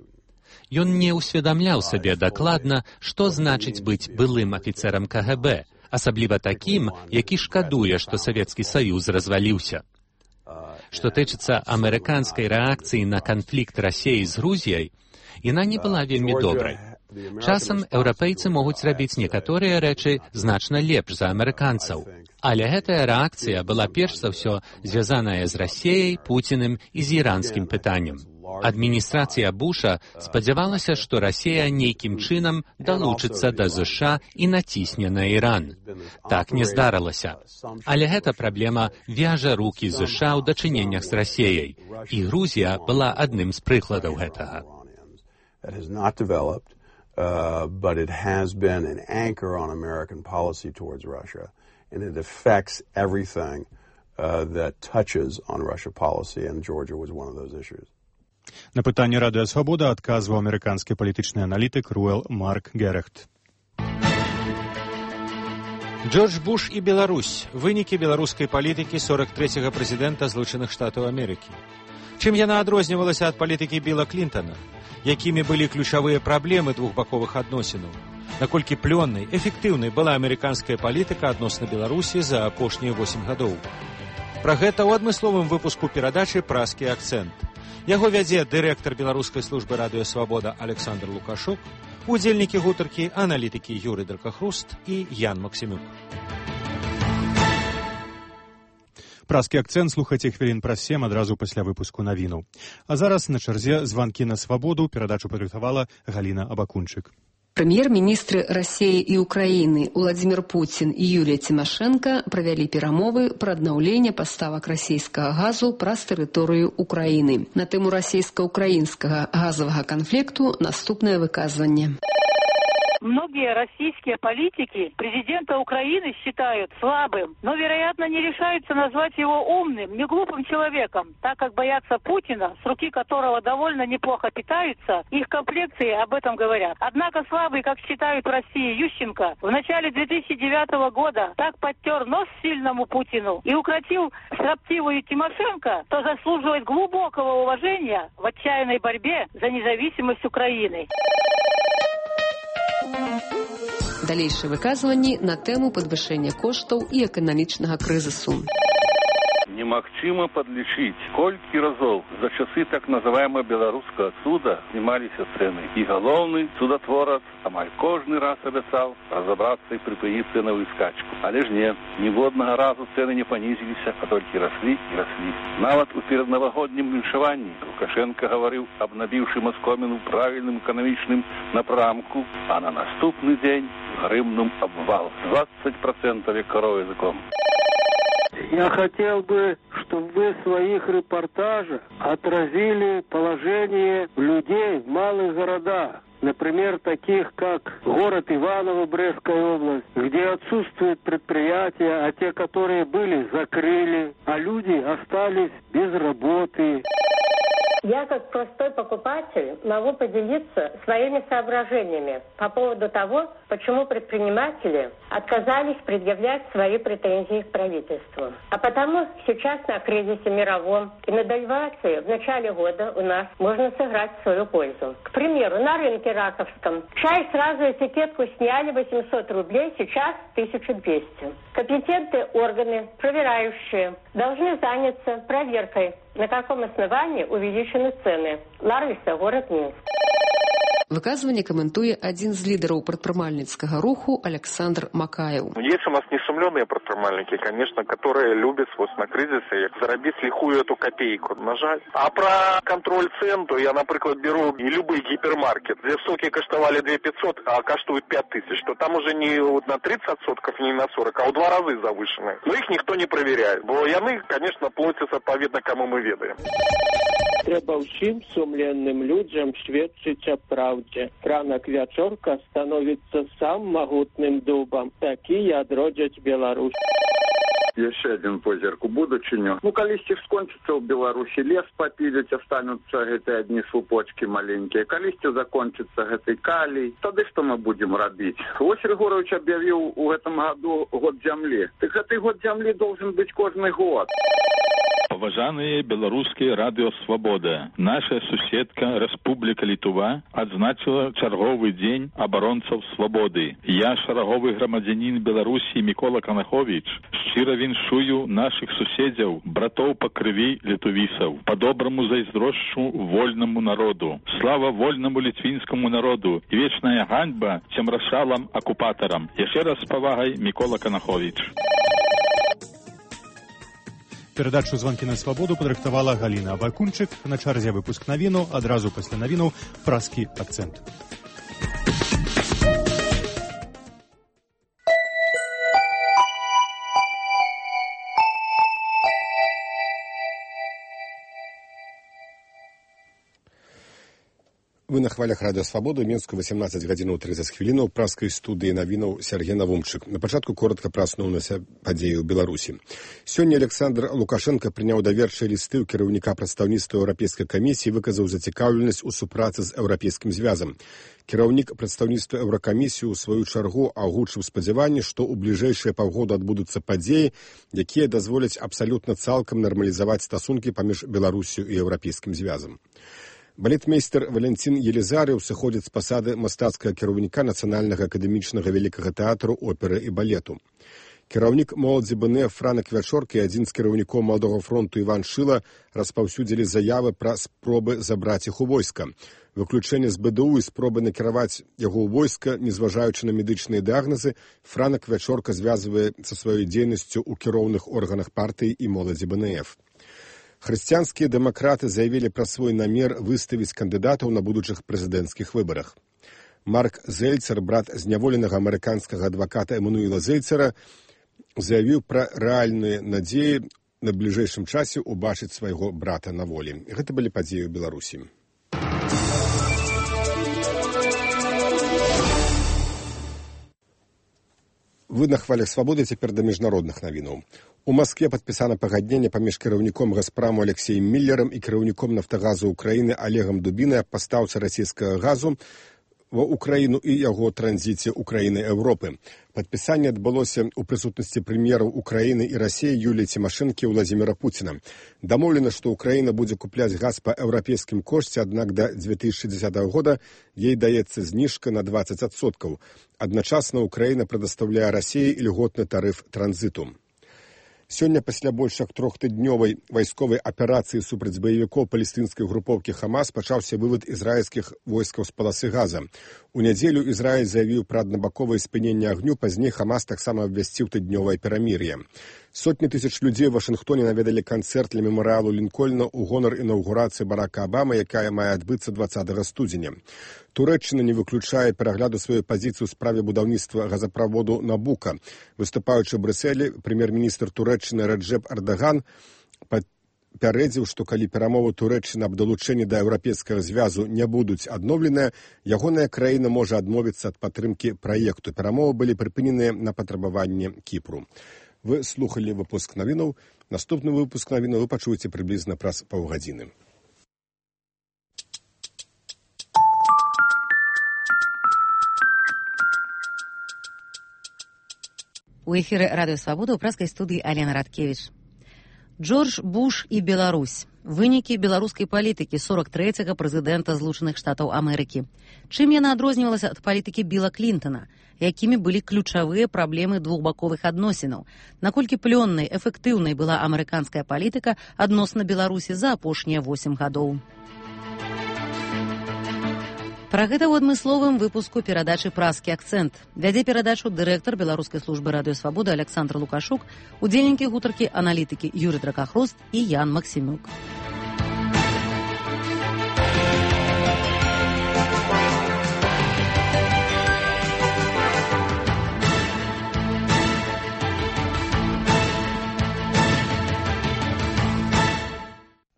Ён не ўсведамляў сабе дакладна, што значыць быць былым афіцэрам КГБ, асабліва такім, які шкадуе, што Савецкі Саюз разваліўся. Што тычыцца амерыканскай рэакцыі на канфлікт Расіі з Грузіяй, яна не была вельмі добрай. Часам еўрапейцы могуць рабіць некаторыя рэчы значна лепш за амерыканцаў. Але гэтая рэакцыя была перш за ўсё звязаная з Расіяй, Пуціным і з іранскім пытаннем. Адміністрацыя Буша спадзявалася, што Расія нейкім чынам далучыцца да ЗША і націсне на Іран. Так не здарылася. Але гэта праблема вяжа рукі ЗША ў дачыненнях з Расіяй. І Грузія была адным з прыкладаў гэтага. Uh, but it has been an anchor on American policy towards Russia, and it affects everything uh, that touches on Russia policy, and Georgia was one of those issues. На пытанне Радыё Свабода адказваў амерыканскі палітычны аналітык Руэл Марк Герехт. Джордж Буш і Беларусь. Вынікі беларускай палітыкі сорок трэцяга прэзідэнта Злучаных Штатаў Амерыкі. Чым яна адрознівалася ад палітыкі Біла Клінтана? Якімі былі ключавыя праблемы двухбаковых адносінаў? Наколькі плённай, эфектыўнай была амерыканская палітыка адносна Беларусі за апошнія восем гадоў? Пра гэта ў адмысловым выпуску перадачы «Празкі акцэнт». Яго вядзе дырэктар беларускай службы Радыё Свабода Александр Лукашук, удзельнікі гутаркі, аналітыкі Юрый Дракахруст і Ян Максімюк. Празкі акцэнт слухайце хвілін праз сем адразу пасля выпуску навінаў. А зараз на чарзе званкі на свабоду. Перадачу падрыхтавала Галіна Абакунчык. Прэм'ер-міністры Расіі і Украіны Владзімір Пуцін і Юлія Цімашэнка правялі перамовы пра аднаўленне паставак расійскага газу праз тэрыторыю Украіны. На тэму расійска-украінскага газавага канфлікту наступнае выказванне. Многие российские политики президента Украины считают слабым, но, вероятно, не решаются назвать его умным, не глупым человеком, так как боятся Путина, с руки которого довольно неплохо питаются, их комплекции об этом говорят. Однако слабый, как считают в России, Ющенко в начале две тысячи девятого года так подтер нос сильному Путину и укротил строптивую Тимошенко, то заслуживает глубокого уважения в отчаянной борьбе за независимость Украины. Далейшыя выказванні на тэму падвышэння коштаў і эканамічнага крызісу. Немагчыма падлічыць, колькі разоў за часы так называемого беларускага цуда знімаліся цэны. І галоўны цудатворац амаль кожны раз абяцаў разабрацца і прыпыніць цэнавую скачку. Але ж не, ніводнага разу цэны не панізіліся, а толькі раслі і раслі. Нават у пераднавагоднім віншаванні Лукашенко гаварыў аб набіўшым аскоміну правільным эканамічным напрамку, а на наступны дзень грымнуў абвал двадцать процентов як корова языком. Я хотел бы, чтобы вы в своих репортажах отразили положение людей в малых городах. Например, таких как город Иваново, Брестская область, где отсутствуют предприятия, а те, которые были, закрыли, а люди остались без работы. Я, как простой покупатель, могу поделиться своими соображениями по поводу того, почему предприниматели отказались предъявлять свои претензии к правительству. А потому сейчас на кризисе мировом и на девальвации в начале года у нас можно сыграть в свою пользу. К примеру, на рынке Раковском чай сразу этикетку сняли восемьсот рублей, сейчас тысяча двести. Компетентные органы, проверяющие, должны заняться проверкой, на каком основании увеличены цены. Ларвиса, город Минск. Выказванне каментуе адзін з лідараў прадпрымальніцкага руху Александр Макаев. Есть у нас несумленные предпринимальники, конечно, которые любят вот на кризисе заработать лихую эту копейку, на жаль. А про контроль цен, то я, например, беру и любой гипермаркет, где соки коштовали две тысячи пятьсот, а коштуют пять тысяч, то там уже не вот на тридцать сотков, не на сорок, а в два раза завышенные. Но их никто не проверяет, бо яны, конечно, платят отповедно, кому мы ведаем. Треба всім сумленним людям свідчить о правді. Ранок вячорка становиться сам могутним дубом. Такі одродять Беларусь. Еще один позірк у будучыню. Ну, калісьці скончыцца ў Беларусі лес папіліць, астануцца гэтыя адні слупочкі маленькія. Калісьці закончыцца гэты калій. Тады што мы будзем рабіць? Вось Григорович аб'явіў у гэтым году год зямлі. Так гэты год зямлі должен быць кожны год. Паважаныя беларускія радыё «Свабода». Наша суседка Рэспубліка Літва адзначыла чарговы дзень абаронцаў свабоды. Я, шараговы грамадзянін Беларусі Мікола Канаховіч, шчыра віншую нашых суседзяў, братоў па крыві літувісаў. Па-добраму зайздрошчу вольнаму народу. Слава вольнаму літвінскаму народу і вечная ганьба цемрашалам акупатарам. Яшчэ раз з павагай, Мікола Канаховіч. Перадачу «Звонки на свободу» падрыхтавала Галина Абакунчык. На чарзе выпуск навінаў, адразу пасля навінаў праскі акцэнт. Вы на хвалях радыё «Свабода», Мінску, васемнаццаць гадзінаў трыццаць хвілінаў, праскай студыі навінаў Сергей Навумчык. На пачатку коротка пра асноўныя падзеі ў Беларусі. Сёння Александр Лукашенко прыняў даверчыя лісты ў кіраўніка прадстаўніцтва Еўрапейскай камісіі і выказаў зацікаўленасць у супрацы з Еўрапейскім звязам. Кіраўнік прадстаўніцтва Еўракамісіі ў сваю чаргу агучыў спадзяванне, што ў бліжэйшыя паўгода адбудуцца падзеі, якія дазволяць абсалютна цалкам нармалізаваць стасункі паміж Беларусію і Еўрапейскім звязам. Балетмейстер Валентин Елизарев сыходзіць з пасады мастацкага кіраўніка Нацыянальнага акадэмічнага вялікага тэатру, оперы і балету. Кіраўнік моладзі БНЭ Франак Вячорка і адзін з кіраўнікоў Маладога фронту Іван Шыла распаўсюдзілі заявы пра спробы забраць іх у войска. Выключэнне з БДУ і спробы накіраваць яго ў войска, незважаючы на медычныя дыягназы, Франак Вячорка звязвае са сваёй дзейнасцю ў кіроўных органах партыі і моладзі БНФ. Хрысціянскія дэмакраты заявілі пра свой намер выставіць кандыдатаў на будучых прэзідэнцкіх выбарах. Марк Зельцер, брат зняволенага амерыканскага адваката Эммануіла Зельцера, заявіў пра рэальныя надзеі на бліжэйшым часе ўбачыць свайго брата на волі. Гэта былі падзеі ў Беларусі. Вы на хвалях свабоды, цяпер да міжнародных навінаў. У Маскве падпісана пагадненне паміж кіраўніком Газпраму Алексеем Міллерам і кіраўніком Нафтагазу Украіны Олегам Дубінай аб пастаўцы расійскага газу ва Украіну і яго транзіце Украіны Еўропы. Падпісанне адбылося ў прысутнасці прэм'ераў Украіны і Расіі Юліі Цімашэнкі і Владзіміра Пуціна. Дамоўлена, што Украіна будзе купляць газ па еўрапейскім кошце, аднак да дзве тысячы дзесятага года ей даецца зніжка на дваццаць адсоткаў. Адначасна Украіна прадастаўляе Расіі ільготны тарыф транзіту. Сёння пасля больш як трохтыднёвай вайсковай аперацыі супраць баевікоў палестынскай групоўкі Хамас пачаўся вывад ізраільскіх войскаў з паласы Газа. У нядзелю Ізраіль заявіў пра аднабаковае спыненне агню, пазней Хамас таксама абвясціў тыднёвае перамір'е. Сотні тысяч людзей у Вашынгтоне наведалі канцэрт ля мемарыялу Лінкольна ў гонар інаўгурацыі Барака Абамы, якая мае адбыцца дваццатага студзеня. Турэччына не выключае перагляду сваёй пазіцыі ў справе будаўніцтва газаправоду Набука. Выступаючы ў Брюсселі, прэм'ер-міністр Турэччыны Раджэп Ардаган папярэдзіў, што калі перамовы Турэччыны аб далучэнні да еўрапейскага звязу не будуць адноўленыя, ягоная краіна можа адмовіцца ад падтрымкі праекту. Перамовы былі прыпыненыя на патрабаванне Кіпру. Вы слухалі выпуск навінаў. Наступны выпуск навінаў вы пачуеце прыблізна праз паўгадзіны. У эфіры радыё «Свабода» ў праскай студыі Алена Радкевіч. Джордж Буш і Беларусь. Вынікі беларускай палітыкі сорок трэцяга прэзідэнта Злучаных Штатаў Амерыкі. Чым яна адрознівалася ад палітыкі Біла Клінтана? Якімі былі ключавыя праблемы двухбаковых адносінаў? Наколькі плённай, эфектыўнай была амерыканская палітыка адносна Беларусі за апошнія восем гадоў? Пра гэта ў адмысловым выпуску перадачы «Праскі акцэнт». Вядзе перадачу дырэктар беларускай службы радыё «Свабода» Александр Лукашук, удзельнікі гутаркі аналітыкі Юрый Дракахрост і Ян Максімюк.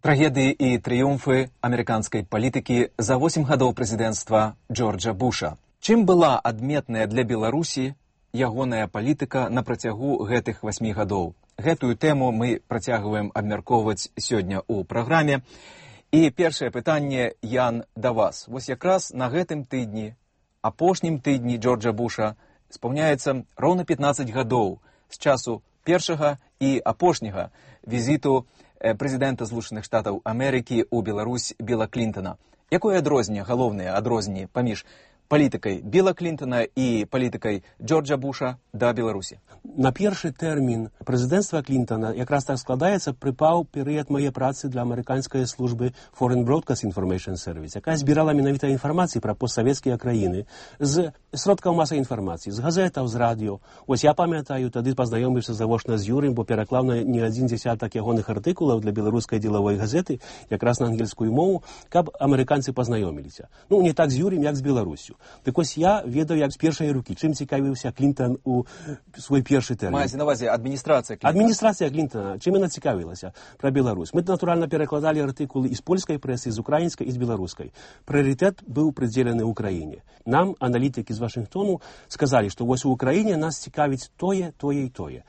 Трагедыі і трыумфы амерыканскай палітыкі за восем гадоў прэзідэнцтва Джорджа Буша. Чым была адметная для Беларусі ягоная палітыка на працягу гэтых васьмі гадоў? Гэтую тэму мы працягваем абмяркоўваць сёння ў праграме. І першае пытанне, Ян, да вас. Вось якраз на гэтым тыдні, апошнім тыдні Джорджа Буша, спаўняецца роўна пятнаццаць гадоў з часу першага і апошняга візіту прэзідэнта Злучаных Штатаў Амерыкі ў Беларусь Білла Клінтана. Якое адрозненне, галоўнае адрозненне паміж палітыкай Білла Клінтана і палітыкай Джорджа Буша да Беларусі? На першы тэрмін прэзідэнцтва Клінтана якраз так складаецца, прыпаў перыяд мае працы для амерыканскай службы Foreign Broadcast Information Service, якая збірала менавіта інфармацыі пра постсавецкія краіны з сродкаў масавай інфармацыі, з газетаў, з радыё. Вось я памятаю, тады пазнаёміўся завочна з Юрым, бо пераклаў на не адзін дзесятак ягоных артыкулаў для беларускай дзелавой газеты, якраз на ангельскую мову, каб амерыканцы пазнаёміліся. Ну, не так з Юрым, як з Беларусю. Так ось я ведаю, як з першай рукі, чым цікавіўся Клінтан у свой першы тэрмін. Маеце на ўвазе адміністрацыя Клінтана? Адміністрацыя Клінтана, чым яна цікавілася пра Беларусь. Мы, натуральна, перакладалі артыкулы з польскай прэсы, з украінскай і з беларускай. Прыярытэт быў прыдзелены ўкраіне. Нам, аналітыкі з Вашынгтону, сказалі, што вось у Украіне нас цікавіць тое, тое і тое.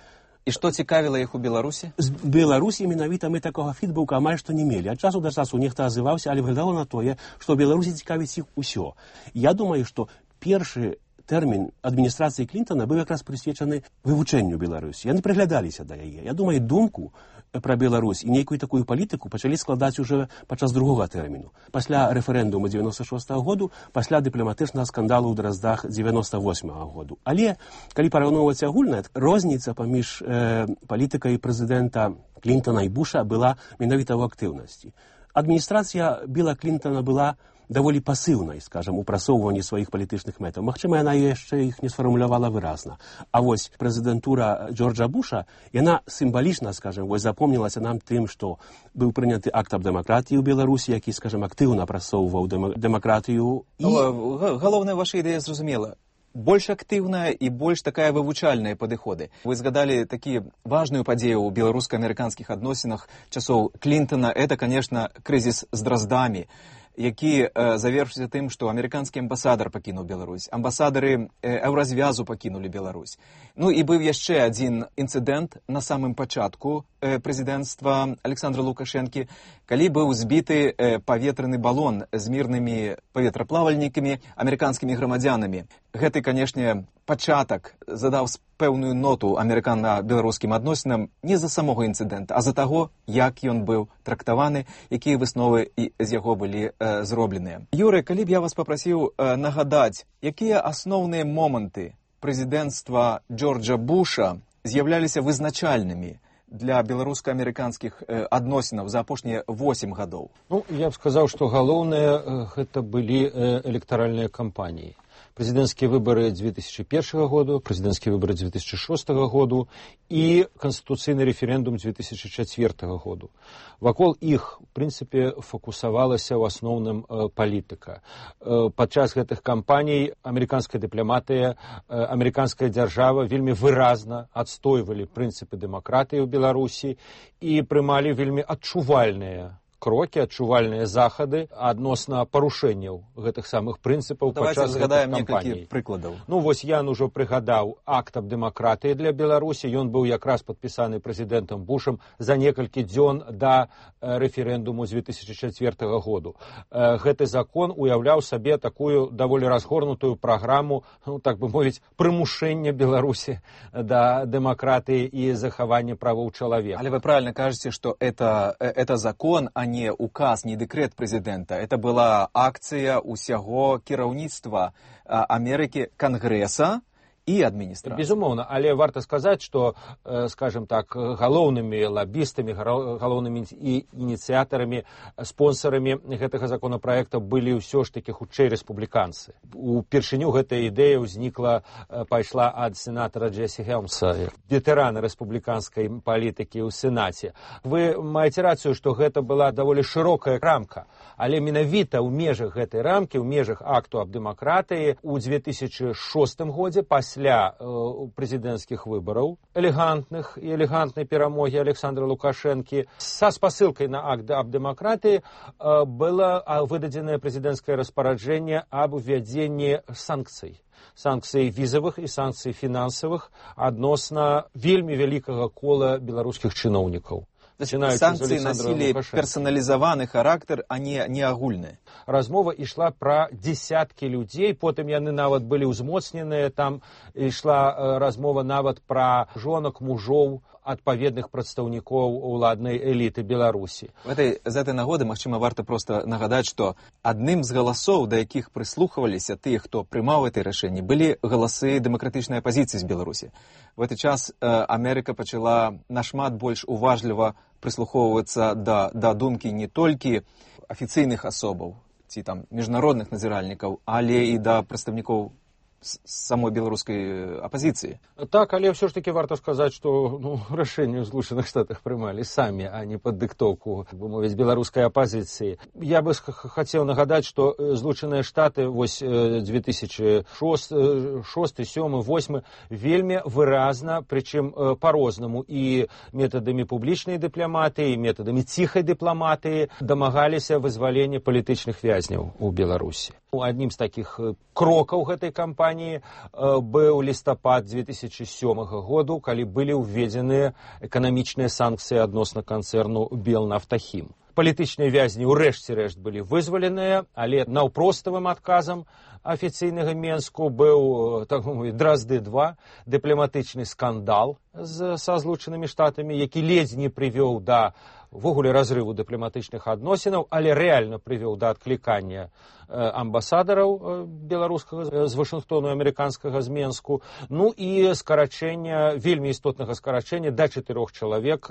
І што цікавіла іх у Беларусі? З Беларусі менавіта мы такога фідбэку амаль што не мелі. Ад часу да часу нехта азываўся, але выглядала на тое, што ў Беларусі цікавіць іх усё. Я думаю, што першы тэрмін адміністрацыі Клінтана быў якраз прысвечаны вывучэнню Беларусі. Яны прыглядаліся да яе. Я думаю, думку пра Беларусь і нейкую такую палітыку пачалі складаць уже падчас другога тэрміну. Пасля рэферэндуму дзевяноста шостага году, пасля дыпламатычнага скандалу ў Драздах дзевяноста восьмага году. Але, калі параўноўваць агульна, розніца паміж э, палітыкай прэзідэнта Клінтана і Буша была менавіта ў актыўнасці. Адміністрацыя Білла Клінтана была даволі пасыўнай, скажам, у прасоўванні сваіх палітычных мэтаў. Магчыма, яна яшчэ іх не сфармулявала выразна. А вось прэзідэнтура Джорджа Буша, яна сімвалічна, скажам, вось запомнілася нам тым, што быў прыняты акт аб дэмакратыі ў Беларусі, які, скажам, актыўна прасоўваў дэмакратыю. І... Галоўная ваша ідэя зразумела. Больш актыўная і больш такая вывучальная падыходы. Вы згадалі такі важную падзею ў беларуска-амерыканскіх адносінах часоў Клінтана. Это, конечно, крызіс з Драздамі, які э, завершыўся тым, што амерыканскі амбасадар пакінуў Беларусь, амбасадары э, Еўразвязу пакінулі Беларусь. Ну і быў яшчэ адзін інцыдэнт на самым пачатку э, прэзідэнцтва Александра Лукашэнкі, калі быў збіты э, паветраны балон з мірнымі паветраплавальнікамі, амерыканскімі грамадзянамі. Гэты, канешне, пачатак задаў пэўную ноту амерыкана-беларускім адносінам не з-за самога інцыдэнта, а з-за таго, як ён быў трактаваны, якія высновы з яго былі э, зробленыя. Юрый, калі б я вас папрасіў э, нагадаць, якія асноўныя моманты прэзідэнцтва Джорджа Буша з'яўляліся вызначальнымі для беларуска-амерыканскіх э, адносінаў за апошнія восемь гадоў? Ну, я б сказаў, што галоўнае э, гэта былі э, электаральныя кампаніі. Президентские выборы две тысячи первого года, президентские выборы две тысячи шестого года и конституційный референдум две тысячи четвертого года. Вакол іх, в принципе, фокусавалася ў асноўным э, палітыка. Э, падчас гэтых кампаній амерыканская дыпламатыя, э, амерыканская дзяржава вельмі выразна адстойвалі прынцыпы дэмакратыі ў Беларусі і прымалі вельмі адчувальныя крокі, адчувальныя захады адносна парушэнняў гэтых самых прынцыпаў падчас гэтых кампаній. Прыкладаў. Ну, вось Ян ужо прыгадаў акт аб дэмакратыі для Беларусі. Ён быў якраз падпісаны прэзідэнтам Бушам за некалькі дзён да э, рэферэндуму две тысячи четвертого года. Э, гэты закон уяўляў сабе такую даволі разгорнутую праграму, ну, так бы мовіць, прымушэння Беларусі да дэмакратыі і захавання правоў чалавека. Але вы правильно кажете, что это, это закон, а не указ, не дэкрэт прэзідэнта. Это была акцыя усяго кіраўніцтва Амерыкі, Кангрэса і адміністрацыі. Безумоўна, але варта сказаць, што, э, скажем так, галоўнымі лабістамі, галоўнымі ініцыятарамі, спонсарамі гэтага законапраекта былі ўсё ж такі хутчэй рэспубліканцы. Упершыню гэтая ідэя ўзнікла, э, пайшла ад сенатара Джесі Хелмса, ветэрана рэспубліканскай палітыкі ў Сенаце. Вы маеце рацыю, што гэта была даволі шырокая рамка, але менавіта ў межах гэтай рамкі, ў межах акту аб дэмакратыі ў две тысячи шостым годзе пасля Пасля э, прэзідэнцкіх выбараў, элегантных і элегантнай перамогі Александра Лукашэнкі, са спасылкай на акт аб дэмакратыі э, было выдадзенае прэзідэнцкае распараджэнне аб увядзенні санкцый. Санкцый візавых і санкцый фінансавых адносна вельмі вялікага кола беларускіх чыноўнікаў. Санкцыі насілі персаналізаваны характар, а не, не агульны. Размова ішла пра дзесяткі людзей, потым яны нават былі ўзмоцненыя, там ішла размова нават пра жонак, мужоў адпаведных прадстаўнікоў уладнай эліты Беларусі. В этой, з этой нагоды, магчыма, варта просто нагадаць, што адным з галасоў, да якіх прыслухваліся тыя, хто прымаў гэты рашэнні, былі галасы дэмакратычнай апазіцыі з Беларусі. В гэты час э, Амерыка пачала нашмат больш уважліва прыслухоўвацца да, да думкі не толькі афіцыйных асобаў ці там міжнародных назіральнікаў, але і да прадстаўнікоў самой беларускай апазіцыі. Так, але ўсё ж таки варта сказаць, што ну, рашэнні ў Злучаных Штатах прымалі самі, а не пад дыктоўку, бы мовіць, беларускай апазіцыі. Я бы хацеў нагадаць, што Злучаныя Штаты вось две тысячи шосты, сёмы, восьмы вельмі выразна, прычым па-рознаму і метадамі публічнай дыпламатыі, і метадамі ціхай дыпламатыі дамагаліся вызвалення палітычных вязняў у Беларусі. Аднім з такіх крокаў гэтай кампаніі быў лістапад две тысячи сёмага году, калі былі ўведзеныя эканамічныя санкцыі адносна канцэрну Белнафтахім. Палітычныя вязні ўрэшце рэшт былі вызваленыя, але наўпроставым адказам афіцыйнага Менску быў, так мовіць, Дразды два, дыпламатычны скандал з, са Злучанымі Штатамі, які ледзь не прывёў да ввогуле разрыву дыпламатычных адносінаў, але рэальна прывёў да адклікання амбасадараў беларускага з Вашынгтону, амерыканскага з Менску, ну і скарачэння, вельмі істотнага скарачэння да чатырох чалавек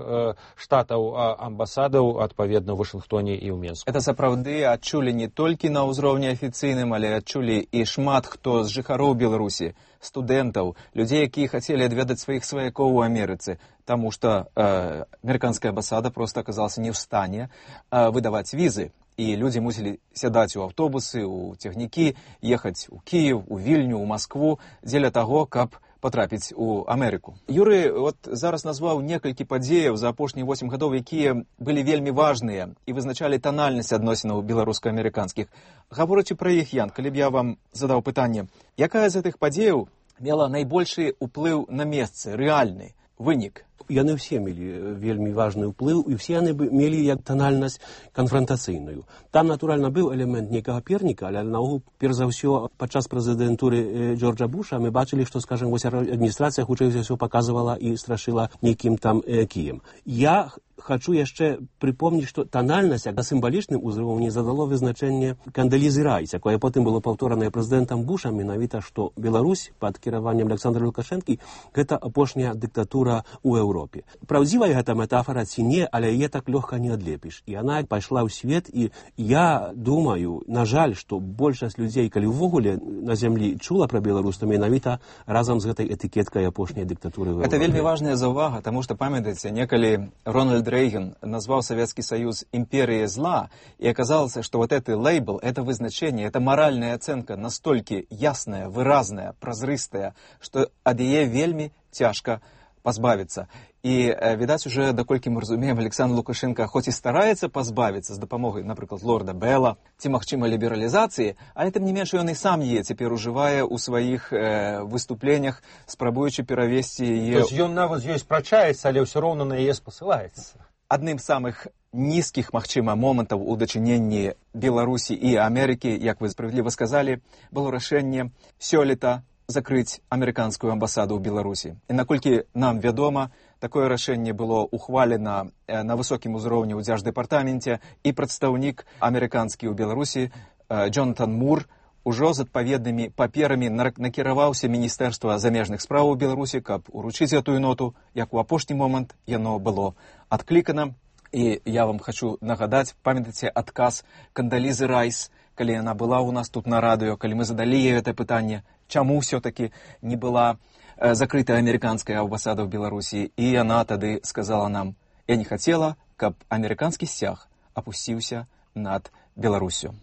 штатаў амбасадаў адпаведна ў Вашынгтоне і ў Менску. Это сапраўды адчулі не толькі на ўзроўні афіцыйным, але адчулі і шмат хто з жыхароў Беларусі, студэнтаў, людзей, якія хацелі адведаць сваіх сваякоў у Амерыцы, таму што э, амерыканская амбасада проста аказалася не ў стане э, выдаваць візы. І людзі мусілі сядаць у аўтобусы, у цягнікі, ехаць у Кіев, у Вільню, у Маскву, дзеля таго, каб потрапіць у Амерыку. Юрый вот зараз назваў некалькі падзеяў за апошнія восем гадоў, якія былі вельмі важныя і вызначалі танальнасць адносінаў беларуска-амерыканскіх. Гаворачы пра іх, Ян, калі б я вам задаў пытанне, якая з гэтых падзеяў мела найбольшы ўплыў на месцы, рэальны вынік? Яны ўсе мелі вельмі важны ўплыў, і ўсе яны мелі як танальнасць канфрантацыйную. Там, натуральна, быў элемент нейкага перніка, але наогул, перш за ўсё, падчас прэзідэнтуры Джорджа Буша мы бачылі, што, скажем, вось адміністрацыя хутчэй за ўсё паказвала і страшыла нейкім там э, кіем. Я хочу яшчэ прыпомніць, што танальнасць на сімвалічным узроўні задало вызначэнне Кандалізы Райс, якое потым было паўторанае прэзідэнтам Бушам, менавіта, што Беларусь пад кіраваннем Александра Лукашэнкі гэта апошняя дыктатура ў Еўропе. Праўдзівая гэта метафора ці не, але яе так лёгка не адлепіш. І яна пайшла ў свет, і я думаю, на жаль, што большасць людзей, калі ўвогуле на зямлі чула пра Беларусь, то менавіта разам з гэтай этыкеткай апошняй дыктатуры ў Еўропе. Это вельмі важная заўвага, таму што, памятаеце, некалі Рональд Рейган назвал Советский Союз империей зла, и оказалось, что вот этот лейбл, это вызначение, это моральная оценка настолько ясная, выразная, прозрыстая, что ад яе вельмі цяжка пазбавіцца. І, відаць, уже, даколькі мы разумеем, Александр Лукашенко хоць і стараецца пазбавіцца з дапамогай, напрыклад, лорда Белла, ці, магчыма, лібералізацыі, але тым не менш ён і сам яе цяпер ужывае ў сваіх э, выступленнях, спрабуючы перавесці яе... То есть ён нават з ёй спрачаецца, але ўсё роўна на яе спасылаецца. Адным з самых нізкіх, магчыма, момантаў у дачыненні Беларусі і Амерыкі, як вы справядліва сказалі, было рашэнне сёлета закрыць амерыканскую амбасаду ў Беларусі. І наколькі нам вядома, такое рашэнне было ухвалена на высокім узроўні ў дзярждэпартаменце, і прадстаўнік амерыканскі ў Беларусі Джонатан Мур ужо з адпаведнымі паперамі накіраваўся Міністэрства замежных спраў у Беларусі, каб уручыць гэтую ноту, як у апошні момант яно было адклікана. І я вам хочу нагадаць, памятаеце адказ Кандалізы Райс, калі яна была ў нас тут на радыё, калі мы задалі ей гэта пытанне, чаму ўсё-таки не была закрытая амерыканская амбасада ў Беларусі, і яна тады сказала нам: я не хацела, каб амерыканскі сцяг апусціўся над Беларусю.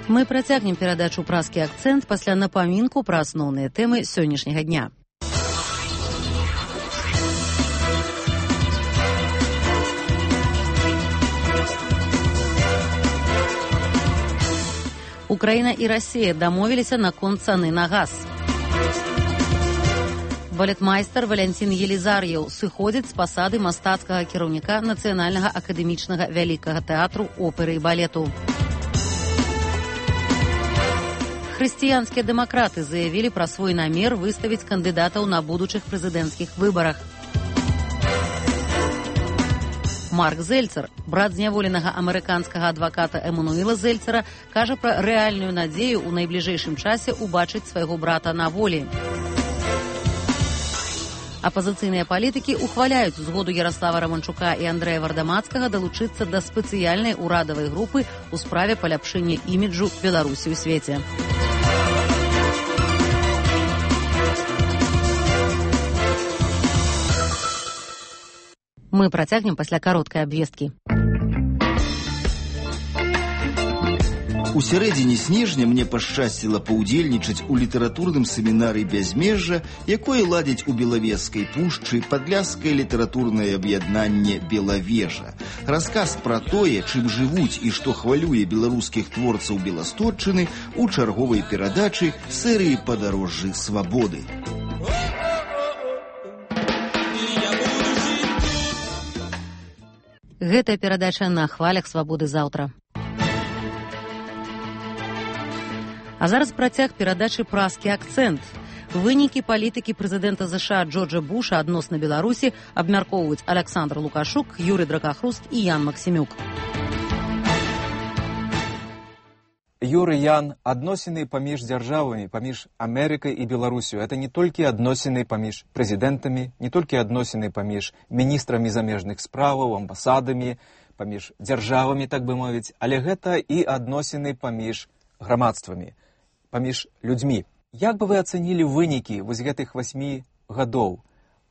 Мы працягнем перадачу «Празкі акцэнт» пасля напамінку пра асноўныя тэмы сённяшняга дня. Украіна і Расія дамовіліся наконт цаны на газ. Балетмайстар Валянцін Елізар'еў сыходзіць з пасады мастацкага кіраўніка Нацыянальнага акадэмічнага вялікага тэатру оперы і балету. Хрысціянскія дэмакраты заявілі пра свой намер выставіць кандыдатаў на будучых прэзідэнцкіх выбарах. Марк Зельцер, брат зняволенага амерыканскага адваката Эмануэла Зельцера, кажа пра рэальную надзею ў найбліжэйшым часе ўбачыць свайго брата на волі. Апазіцыйныя палітыкі ухваляюць згоду Ярослава Романчука і Андрэя Вардамацкага далучыцца да спецыяльнай урадавай групы ў справе паляпшэння іміджу Беларусі ў свеце. Мы працягнем пасля кароткай абвесткі. У сярэдзіне снежня мне пашчасціла паўдзельнічаць у літаратурным семінары «Бязмежжа», якое ладзіць у Белавежскай пушчы падляшскае літаратурнае аб'яднанне «Белавежа». Расказ пра тое, чым жывуць і што хвалюе беларускіх творцаў Беластотчыны у чарговай перадачы серыі «Падарожжы свабоды». Гэтая перадача на хвалях свабоды заўтра. А зараз працяг перадачы «Празкі акцэнт». Вынікі палітыкі прэзідэнта ЗША Джорджа Буша адносна Беларусі абмяркоўваюць Александр Лукашук, Юрый Дракахруст і Ян Максімюк. Юры, Ян, адносіны паміж дзяржавамі, паміж Амерыкай і Беларусю. Это не толькі адносіны паміж прэзідэнтамі, не толькі адносіны паміж міністрамі замежных справаў, амбасадамі, паміж дзяржавамі, так бы мовіць, але гэта і адносіны паміж грамадствамі, паміж людзьмі. Як бы вы ацэнілі вынікі вось гэтых васьмі гадоў?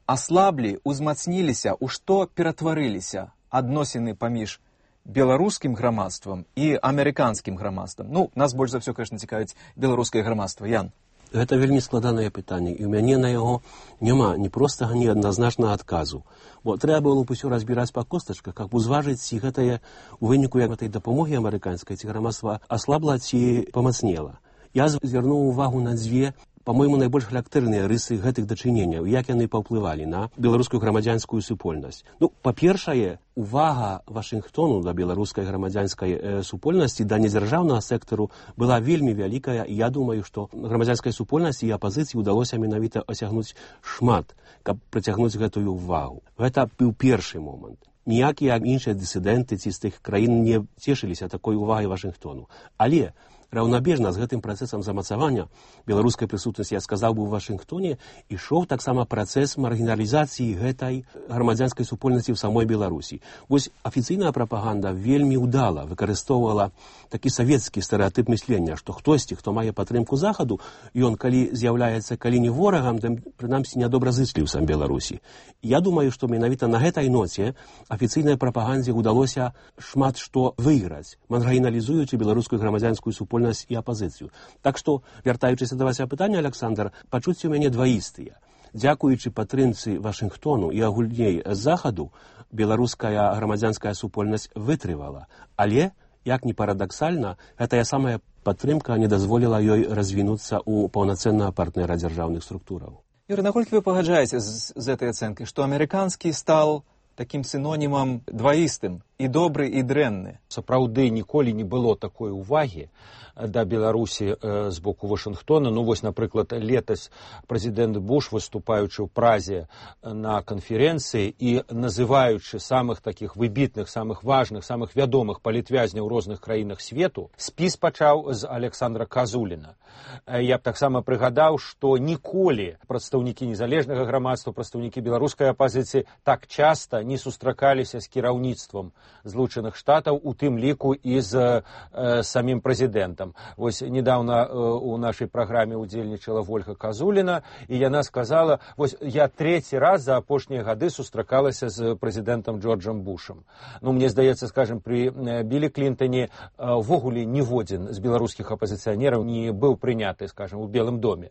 Аслаблі, узмацніліся, у што ператварыліся адносіны паміж беларускім грамадствам і амерыканскім грамадствам? Ну, нас больш за ўсё, конечно, цікавіць беларускае грамадства. Ян. Гэта вельмі складанае пытанне, і ў мяне на яго няма ні простага, ні адназначнага адказу. Бо трэба было б усё разбіраць па костачках, каб узважыць, ці гэтае у выніку гэтай дапамогі амерыканскай, ці грамадства аслабла, ці памацнела. Я звярнуў увагу на дзве, по-мойму, найбольш характэрныя рысы гэтых дачыненняў, як яны паўплывалі на беларускую грамадзянскую супольнасць. Ну, па-першае, увага Вашынгтону да беларускай грамадзянскай э, супольнасці, да недзяржаўнага сектару была вельмі вялікая, і я думаю, што грамадзянскай супольнасці і апазіцыі ўдалося менавіта асягнуць шмат, каб прыцягнуць гэтую увагу. Гэта быў першы момант. Ніякія іншыя дысідэнты ці з тых краін не цешыліся такой увагай Вашынгтону. Але раўнабежна з гэтым працэсам замацавання беларускай прысутнасці, я сказаў бы, у Вашынгтоне ішоў таксама працэс маргіналізацыі гэтай грамадзянскай супольнасці ў самой Беларусі. Вось афіцыйная прапаганда вельмі ўдала выкарыстоўвала такі савецкі стэрэатып мыслення, што хтосьці, хто мае падтрымку захаду, ён калі з'яўляецца калі не ворагам, то прынамсі нядобразычліўцам Беларусі. Я думаю, што менавіта на гэтай ноце афіцыйнай прапагандзе ўдалося шмат што выйграць, маргіналізуючы беларускую грамадзянскую супольнасць і апазіцыю. Так што, вяртаючыся да вашага пытання, Александр, пачуцці ў мяне дваістыя. Дзякуючы падтрымцы Вашынгтону і агульней захаду, беларуская грамадзянская супольнасць вытрывала. Але, як ні парадаксальна, гэтая самая падтрымка не дазволіла ёй развінуцца ў паўнацэннага партнера дзяржаўных структураў. Юрый, наколькі вы пагаджаеце з, з гэтай ацэнкай, што амерыканскі стал такім сінонімам дваістым, і добры, і дрэнны? Сапраўды ніколі не было такой увагі да Беларусі э, з боку Вашынгтона. Ну вось, напрыклад, летась прэзідэнт Буш, выступаючы ў Празе на канферэнцыі і называючы самых такіх выбітных, самых важных, самых вядомых палітвязняў у розных краінах свету, спіс пачаў з Александра Казуліна. Я б таксама прыгадаў, што ніколі прадстаўнікі незалежнага грамадства, прадстаўнікі беларускай апазіцыі так часта не сустракаліся з кіраўніцтвам Злучаных Штатаў, у тым ліку і з э, самім прэзідэнтам. Вось недавно э, у нашай праграме удзельнічала Вольга Казуліна, і яна сказала, вось я трэці раз за апошнія гады сустракалася з прэзідэнтам Джорджам Бушам. Ну, мне здаецца, скажем, пры э, Білі Клінтоне увогуле э, ніводзін з беларускіх апазіцыянераў не быў прыняты, скажем, у Белым доме.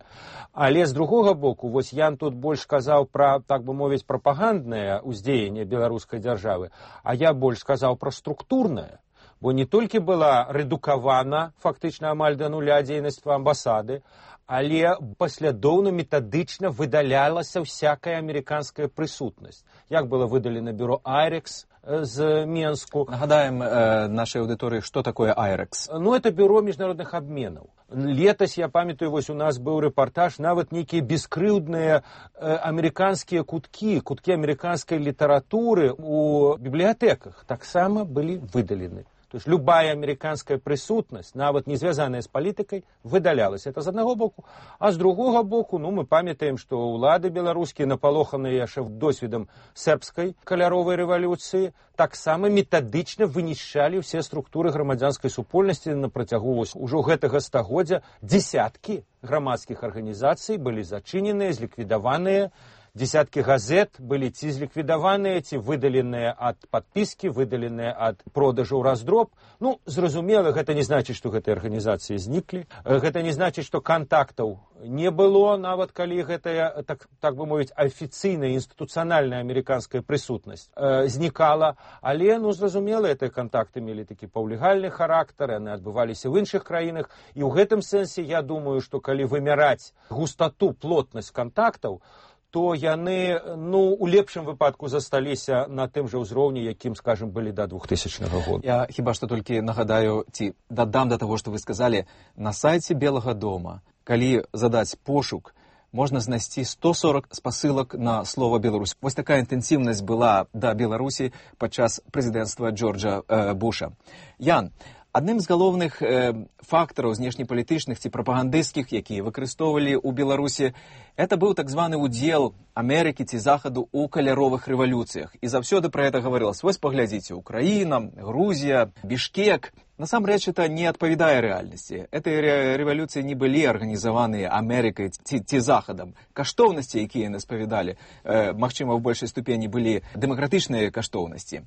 Але з другога боку, вось Ян тут больш сказаў пра, так бы мовіць, прапаганднае ўздзеянне беларускай дзяржавы, а я больш сказаў пра структурнае. Бо не толькі была рэдукавана фактычна амаль да нуля дзейнасць амбасады, але паслядоўна метадычна выдалялася всякая амерыканская прысутнасць. Як было выдалена бюро Айрекс з Менску. Нагадаем э, нашей аудитории, что такое Айрекс. Ну, это бюро международных обменов. Летась, я памятаю, вось у нас был репортаж, нават некие бескрыўдныя э, американские кутки, кутки американской литературы у библиотеках таксама были выдалены. То есть любая американская присутность, нават не связанная с политикой, выдалялась. Это с одного боку. А с другого боку, ну, мы памятаем, что улады белорусские, напалоханные яшчэ досведам сербской каляровой революции, так само методично вынішчалі все структуры грамадзянской супольнасці на працягу ўжо гэтага стагоддзя. Десятки грамадских организаций были зачинены, зликвидованные. Десятки газет были ці зліквідаваныя, ці выдаленыя ад падпіскі, выдаленыя ад продажу ў раздроб. Ну, зразумела, гэта не значыць, што гэтыя арганізацыі зніклі. Гэта не значыць, што кантактаў не было, нават калі гэтая, так, так бы мовіць, афіцыйная, інстытуцыянальная амерыканская прысутнасць э, знікала. Але, ну, зразумела, гэтыя кантакты мелі такі паўлегальны характар, яны адбываліся ў іншых краінах. І ў гэтым сэнсе, я думаю, што калі вымяраць густату, плотнасць кантактаў, то яны, ну, у лепшым выпадку засталіся на тым жа ўзроўні, якім, скажем, былі да двухтысячнага года. Я хіба што толькі нагадаю, ці дадам да таго, што вы сказалі, на сайце Белага дома, калі задаць пошук, можна знайсці сто сорок спасылак на слова Беларусь. Вось такая інтэнсіўнасць была да Беларусі падчас прэзідэнцтва Джорджа э, Буша. Ян, адным з галоўных э, фактараў знешнепалітычных ці прапагандысцкіх, якія выкарыстоўвалі ў Беларусі, это быў так званы удзел Амерыкі ці Захаду ў каляровых рэвалюцыях. І заўсёды пра гэта гаварылася. Вось паглядзіце, Украіна, Грузія, Бішкек. Насамрэч, это не адпавядае рэальнасці. Гэтыя рэвалюцыі не былі арганізаваныя Амерыкай ці, ці Захадам. Каштоўнасці, якія яны спавядалі, э, магчыма, ў большай ступені былі дэмакратычныя каштоўнасці.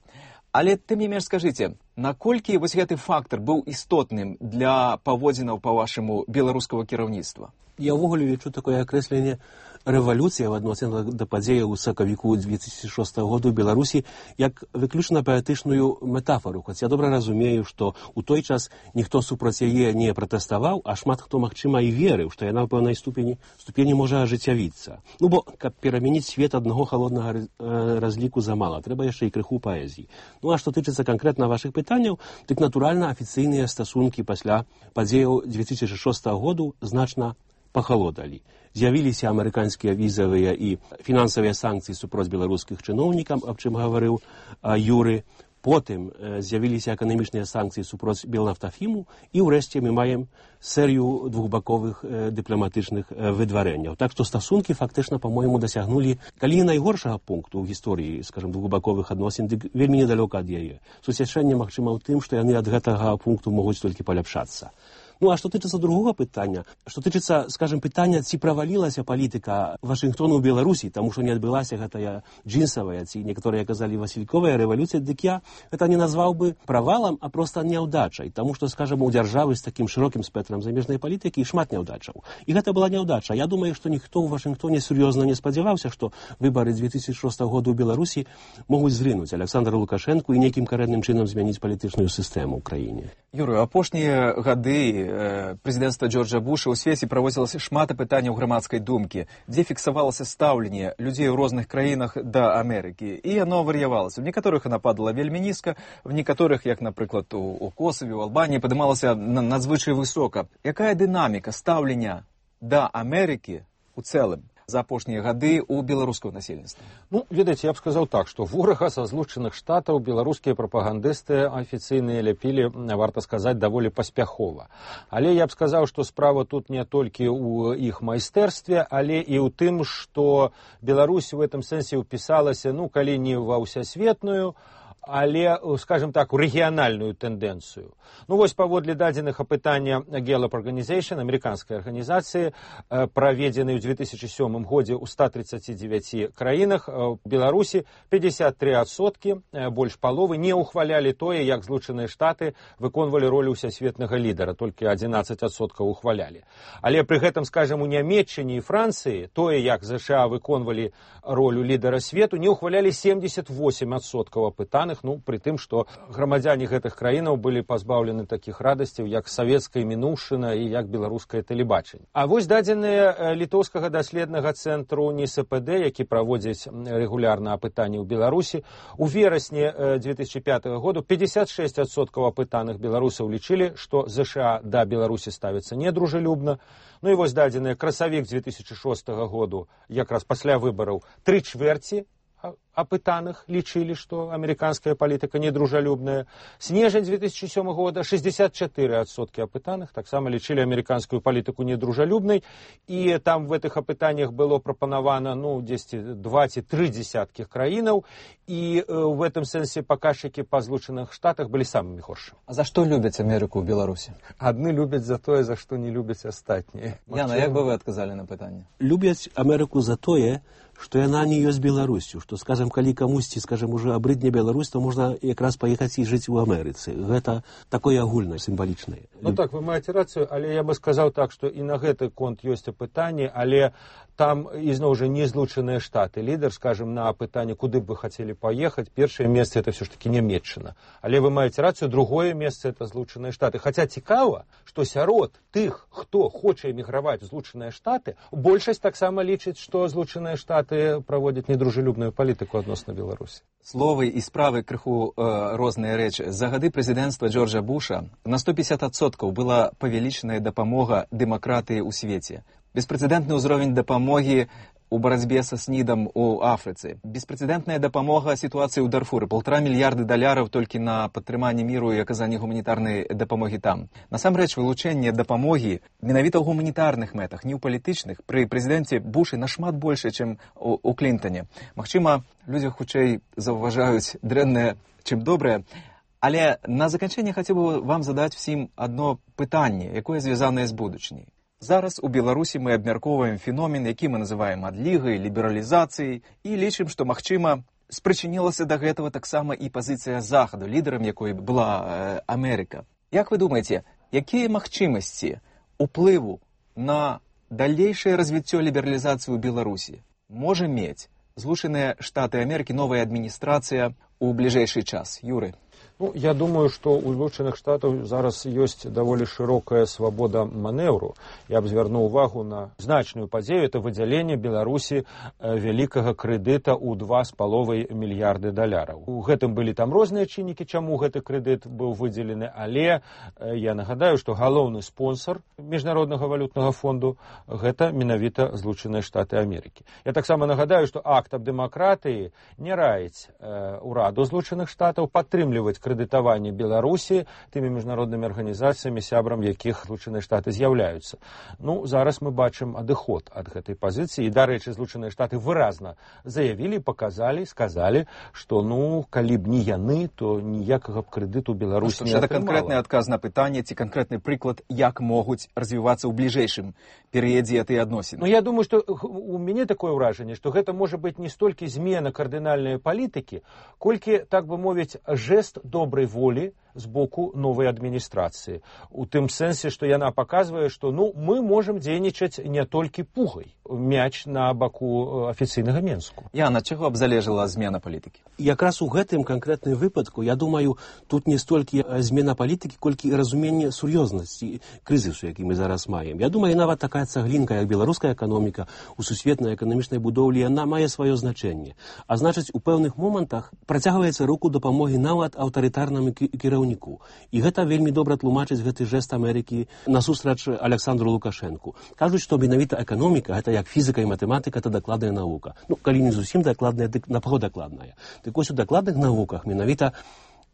Але тым не менш скажыце, наколькі вось гэты фактар быў істотным для паводзінаў, па-вашаму, беларускага кіраўніцтва? Я ўвогуле лічу такое акрэсленне рэвалюцыя в адносінах да падзеяў у сакавіку две тысячи шостага году ў Беларусі як выключна паэтычную метафору. Хоць я добра разумею, што ў той час ніхто супраць яе не пратэставаў, а шмат хто, магчыма, і верыў, што яна ў пэўнай ступені, ступені можа ажыццявіцца. Ну, бо, каб перамяніць свет аднаго халоднага разліку замала, трэба яшчэ і крыху паэзіі. Ну, а што тычыцца канкрэтна вашых пытанняў, дык, натуральна, афіцыйныя стасункі пасля падзеяў две тысячи шостага году значна пахалодалі. З'явіліся амерыканскія візавыя і фінансавыя санкцыі супроць беларускіх чыноўнікаў, аб чым гаварыў а, Юры. Потым э, з'явіліся эканамічныя санкцыі супроць Белнафтафіму, і ўрэшце мы маем серыю двухбаковых э, дыпламатычных э, выдварэнняў. Так што стасункі фактычна, па-мойму, дасягнулі, калі не найгоршага пункту ў гісторыі, скажем, двухбаковых адносін, дык вельмі недалёка ад яе. Суцяшэнне, магчыма, ў тым, што яны ад гэтага пункту могуць толькі паляпшацца. Ну, а што тычыцца другога пытання, што тычыцца, скажем, пытання, ці правалілася палітыка Вашынгтону ў Беларусі, таму што не адбылася гэтая джинсавая, ці некаторыя казалі васільковая рэвалюцыя, дык я гэта не назваў бы правалам, а проста няўдачай, таму што, скажем, у дзяржавы з такім шырокім спектрам замежнай палітыкі шмат няўдачаў. І гэта была няўдача. Я думаю, што ніхто ў Вашынгтоне сур'ёзна не спадзяваўся, што выбары две тысячи шостага года ў Беларусі могуць зрынуць Александра Лукашэнку і нейкім карэнным чынам змяніць палітычную сістэму ў краіне. Юрый, апошнія гады прэзідэнцтва Джорджа Буша ў свеце праводзілася шмат апытанняў грамадскай думкі, дзе фіксавалася стаўленне людзей у розных краінах да Амерыкі. І яно вар'явалася. У некаторых яна падала вельмі нізка, в некаторых, як, напрыклад, у, у Косаве, у Албаніі, падымалася надзвычай высока. Якая дынаміка стаўлення да Амерыкі у цэлым за апошнія гады ў беларускага насельніцтва? Ну, ведаеце, я б сказаў так, што ворага са злучаных штатаў беларускія прапагандысты афіцыйныя ляпілі, варта сказаць, даволі паспяхова. Але я б сказаў, што справа тут не толькі ў іх майстэрстве, але і ў тым, што Беларусь у гэтым сэнсе ўпісалася, ну, калі не ва ўсясветную, але, скажем так, у рэгіянальную тэндэнцыю. Ну, вось паводле дадзеных апытання Gallup Organization, амерыканскай арганізацыі, праведзенай у две тысячи сёмым годзе ў ста тридцати девяти краінах, у Беларусі пятьдесят три адсоткі, больш паловы, не ухвалялі тое, як Злучаныя Штаты выконвалі ролю ўсясветнага лідара, толькі одиннадцать адсоткаў ухвалялі. Але пры гэтым, скажем, у Нямецчыне і Францыі тое, як ЗША выконвалі ролю лідара свету, не ухвалялі семьдесят восемь адсоткаў апытаных, апытаных, ну, пры тым, што грамадзяне гэтых краінаў былі пазбаўлены такіх радасцяў, як савецкая мінуўшчына і як беларускае тэлебачанне. А вось дадзеныя літоўскага даследнага цэнтру НИСПД, які праводзіць рэгулярна апытанні ў Беларусі, у верасні две тысячи пятого году пятьдесят шесть адсоткаў апытаных беларусаў лічылі, што ЗША да Беларусі ставіцца недружелюбна. Ну і вось дадзеныя красавік две тысячи шостого году, якраз пасля выбараў, тры чвэрці апытаных лічылі, што амерыканская палітыка недружалюбная. Снежань две тысячи седьмого года шестьдесят четыре адсоткі апытаных таксама лічылі амерыканскую палітыку недружалюбнай, і там в гэтых апытаннях было прапанавана, ну, дзесьці два ці тры дзесяткі краінаў, і в гэтым сэнсе паказчыкі па Злучаных Штатах былі самымі горшымі. А за што любяць Амерыку ў Беларусі? Адны любяць за тое, за што не любяць астатнія. Яна, як бы вы адказалі на пытанне? Любяць Амерыку за тое, што яна не ёсць Беларусю, што, скажем, калі камусьці, скажем, уже абрыдне Беларусь, то можна якраз паехаць і жыць у Амерыцы. Гэта такое агульнае, сімвалічнае. Ну так, вы маеце рацыю, але я бы сказаў так, што і на гэты конт ёсць апытанне, але там ізноў жа не Злучаныя Штаты. Лідар, скажем, на апытанне, куды б вы хацелі паехаць, першае месца это все ж таки Нямецчына. Але вы маеце рацыю, другое месца это Злучаныя Штаты. Хаця цікава, што сярод тых, хто хоча эміграваць у Злучаныя Штаты, большасць таксама лічыць, што Злучаныя Штаты праводзяць недружелюбную палітыку адносна Беларусі. Словы і справы крыху э, розныя рэчы. За гады прэзідэнцтва Джорджа Буша на сто пятьдесят адсоткаў была павялічаная дапамога дэмакратыі ў свеце. Беспрэцэдэнтны ўзровень дапамогі у барацьбе са снідам у Афрыцы. Беспрэцэдэнтная дапамога сітуацыі ў Дарфуры. Полтора мільярды даляраў толькі на падтрыманне міру і аказанне гуманітарнай дапамогі там. Насамрэч, вылучэнне дапамогі менавіта ў гуманітарных мэтах, не ў палітычных, пры прэзідэнце Бушы нашмат больше, чым у, у Клінтане. Магчыма, людзі хутчэй заўважаюць дрэннае, чым добрае. Але на заканчэнне хацеў бы вам задаць всім адно пытанне, якое звязанае з будучыняй. Зараз у Беларусі мы абмяркоўваем феномен, які мы называем адлігай, лібералізацыяй, і лічым, што, магчыма, спрычынілася да гэтага таксама і пазіцыя Захаду, лідарам якой была э, Амерыка. Як вы думаеце, якія магчымасці уплыву на далейшае развіццё лібералізацыі ў Беларусі можа мець Злучаныя Штаты Амерыкі, новая адміністрацыя у бліжэйшы час? Юры? Ну, я думаю, што ў Злучаных Штатаў зараз ёсць даволі шырокая свабода манеўру. Я б звярнуў увагу на значную падзею, это выдзяленне Беларусі вялікага крэдыта ў два з паловай мільярды даляраў. У гэтым былі там розныя чыннікі, чаму гэты крэдыт быў выдзелены, але я нагадаю, што галоўны спонсор Міжнароднага валютнага фонду гэта менавіта Злучаныя Штаты Амерыкі. Я таксама нагадаю, што акт аб дэмакратыі не раіць э, ураду Злучаных Штатаў падтрымліваць крэдытаванне Беларусі тымі міжнароднымі арганізацыямі, сябрам якіх Злучаныя Штаты з'яўляюцца. Ну, зараз мы бачым адыход ад гэтай пазіцыі, і, дарэчы, Злучаныя Штаты выразна заявілі, паказалі, сказалі, што, ну, калі б не яны, то ніякага б крэдыту Беларусі не атрымала. Гэта канкрэтны адказ на пытанне ці канкрэтны прыклад, як могуць развівацца ў бліжэйшым перыядзе гэтыя адносіны? Ну, я думаю, што у мяне такое ўражанне, што гэта можа быць не столькі змена кардынальнай палітыкі, колькі, так бы мовіць, жест добрай волі з боку новай адміністрацыі. У тым сэнсе, што яна паказвае, што, ну, мы можам дзейнічаць не толькі пугай. Мяч на баку афіцыйнага Менску. Яна, чаго б залежала змена палітыкі? Якраз у гэтым канкрэтным выпадку, я думаю, тут не столькі змена палітыкі, колькі разуменне сур'ёзнасці крызісу, які мы зараз маем. Я думаю, нават такая цаглінка, як беларуская эканоміка у сусветнай эканамічнай будоўлі, яна мае сваё значэнне. А значыць, у пэўных момантах працягваецца руку дапамогі нават аўтарытарнаму кіраўніку. І гэта вельмі добра тлумачыць гэты жэст Амерыкі насустрач Александру Лукашэнку. Кажуць, што менавіта эканоміка, гэта як фізіка і матэматыка, это дакладная навука. Ну, калі не зусім дакладная, дык напаго дакладная. Дык вось у дакладных навуках менавіта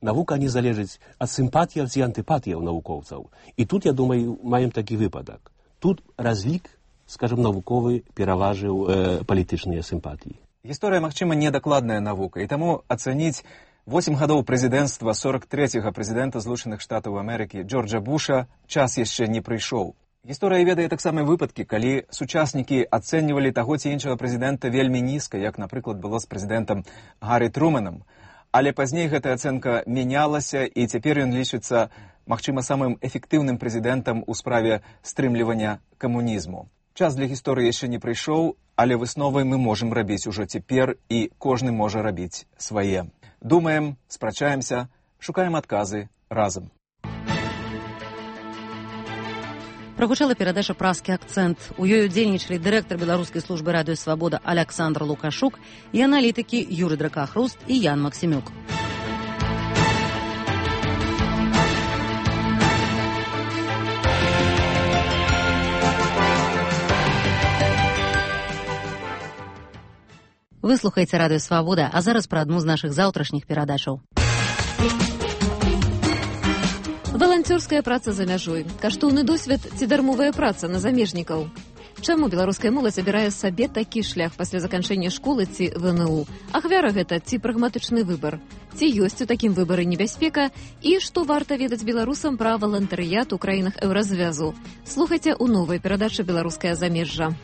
навука не залежыць ад сімпатіяў ці антыпатіяў навукоўцаў. І тут, я думаю, маем такі выпадак. Тут разлік, скажем, навуковы пераважыў э, палітычныя сімпатіі. Гісторыя, магчыма, недакладная навука, і таму ацаніць восем гадоў прэзідэнцтва сорок трэцяга прэзідэнта Злучаных Штатаў Амерыкі Джорджа Буша час яшчэ не прыйшоў. Гісторыя ведае таксама выпадкі, калі сучаснікі ацэньвалі таго ці іншага прэзідэнта вельмі нізка, як, напрыклад, было з прэзідэнтам Гаррі Трумэнам. Але пазней гэтая ацэнка мянялася, і цяпер ён лічыцца, магчыма, самым эфектыўным прэзідэнтам у справе стрымлівання камунізму. Час для гісторыі яшчэ не прыйшоў, але высновы мы можам рабіць ужо цяпер, і кожны можа рабіць свае. Думаем, спрачаемся, шукаем адказы разам. Прагучала перадача «Праскі акцэнт». У ёй удзельнічалі дырэктар беларускай службы радыё «Свабода» Аляксандр Лукашук і аналітыкі Юры Дракахруст і Ян Максімюк. Вы слухаеце радыё «Свабода», а зараз пра адну з нашых заўтрашніх перадачаў. Валанцёрская праца за мяжой. Каштоўны досвед ці дармовая праца на замежнікаў. Чаму беларуская моладзь абірае сабе такі шлях пасля заканчэння школы ці вэ эн у? Ахвяра гэта ці прагматычны выбар? Ці ёсць у такім выбары небяспека? І што варта ведаць беларусам пра валантарыят у краінах еўразвязу? Слухайце ў новай перадачы «Беларускае замежжа».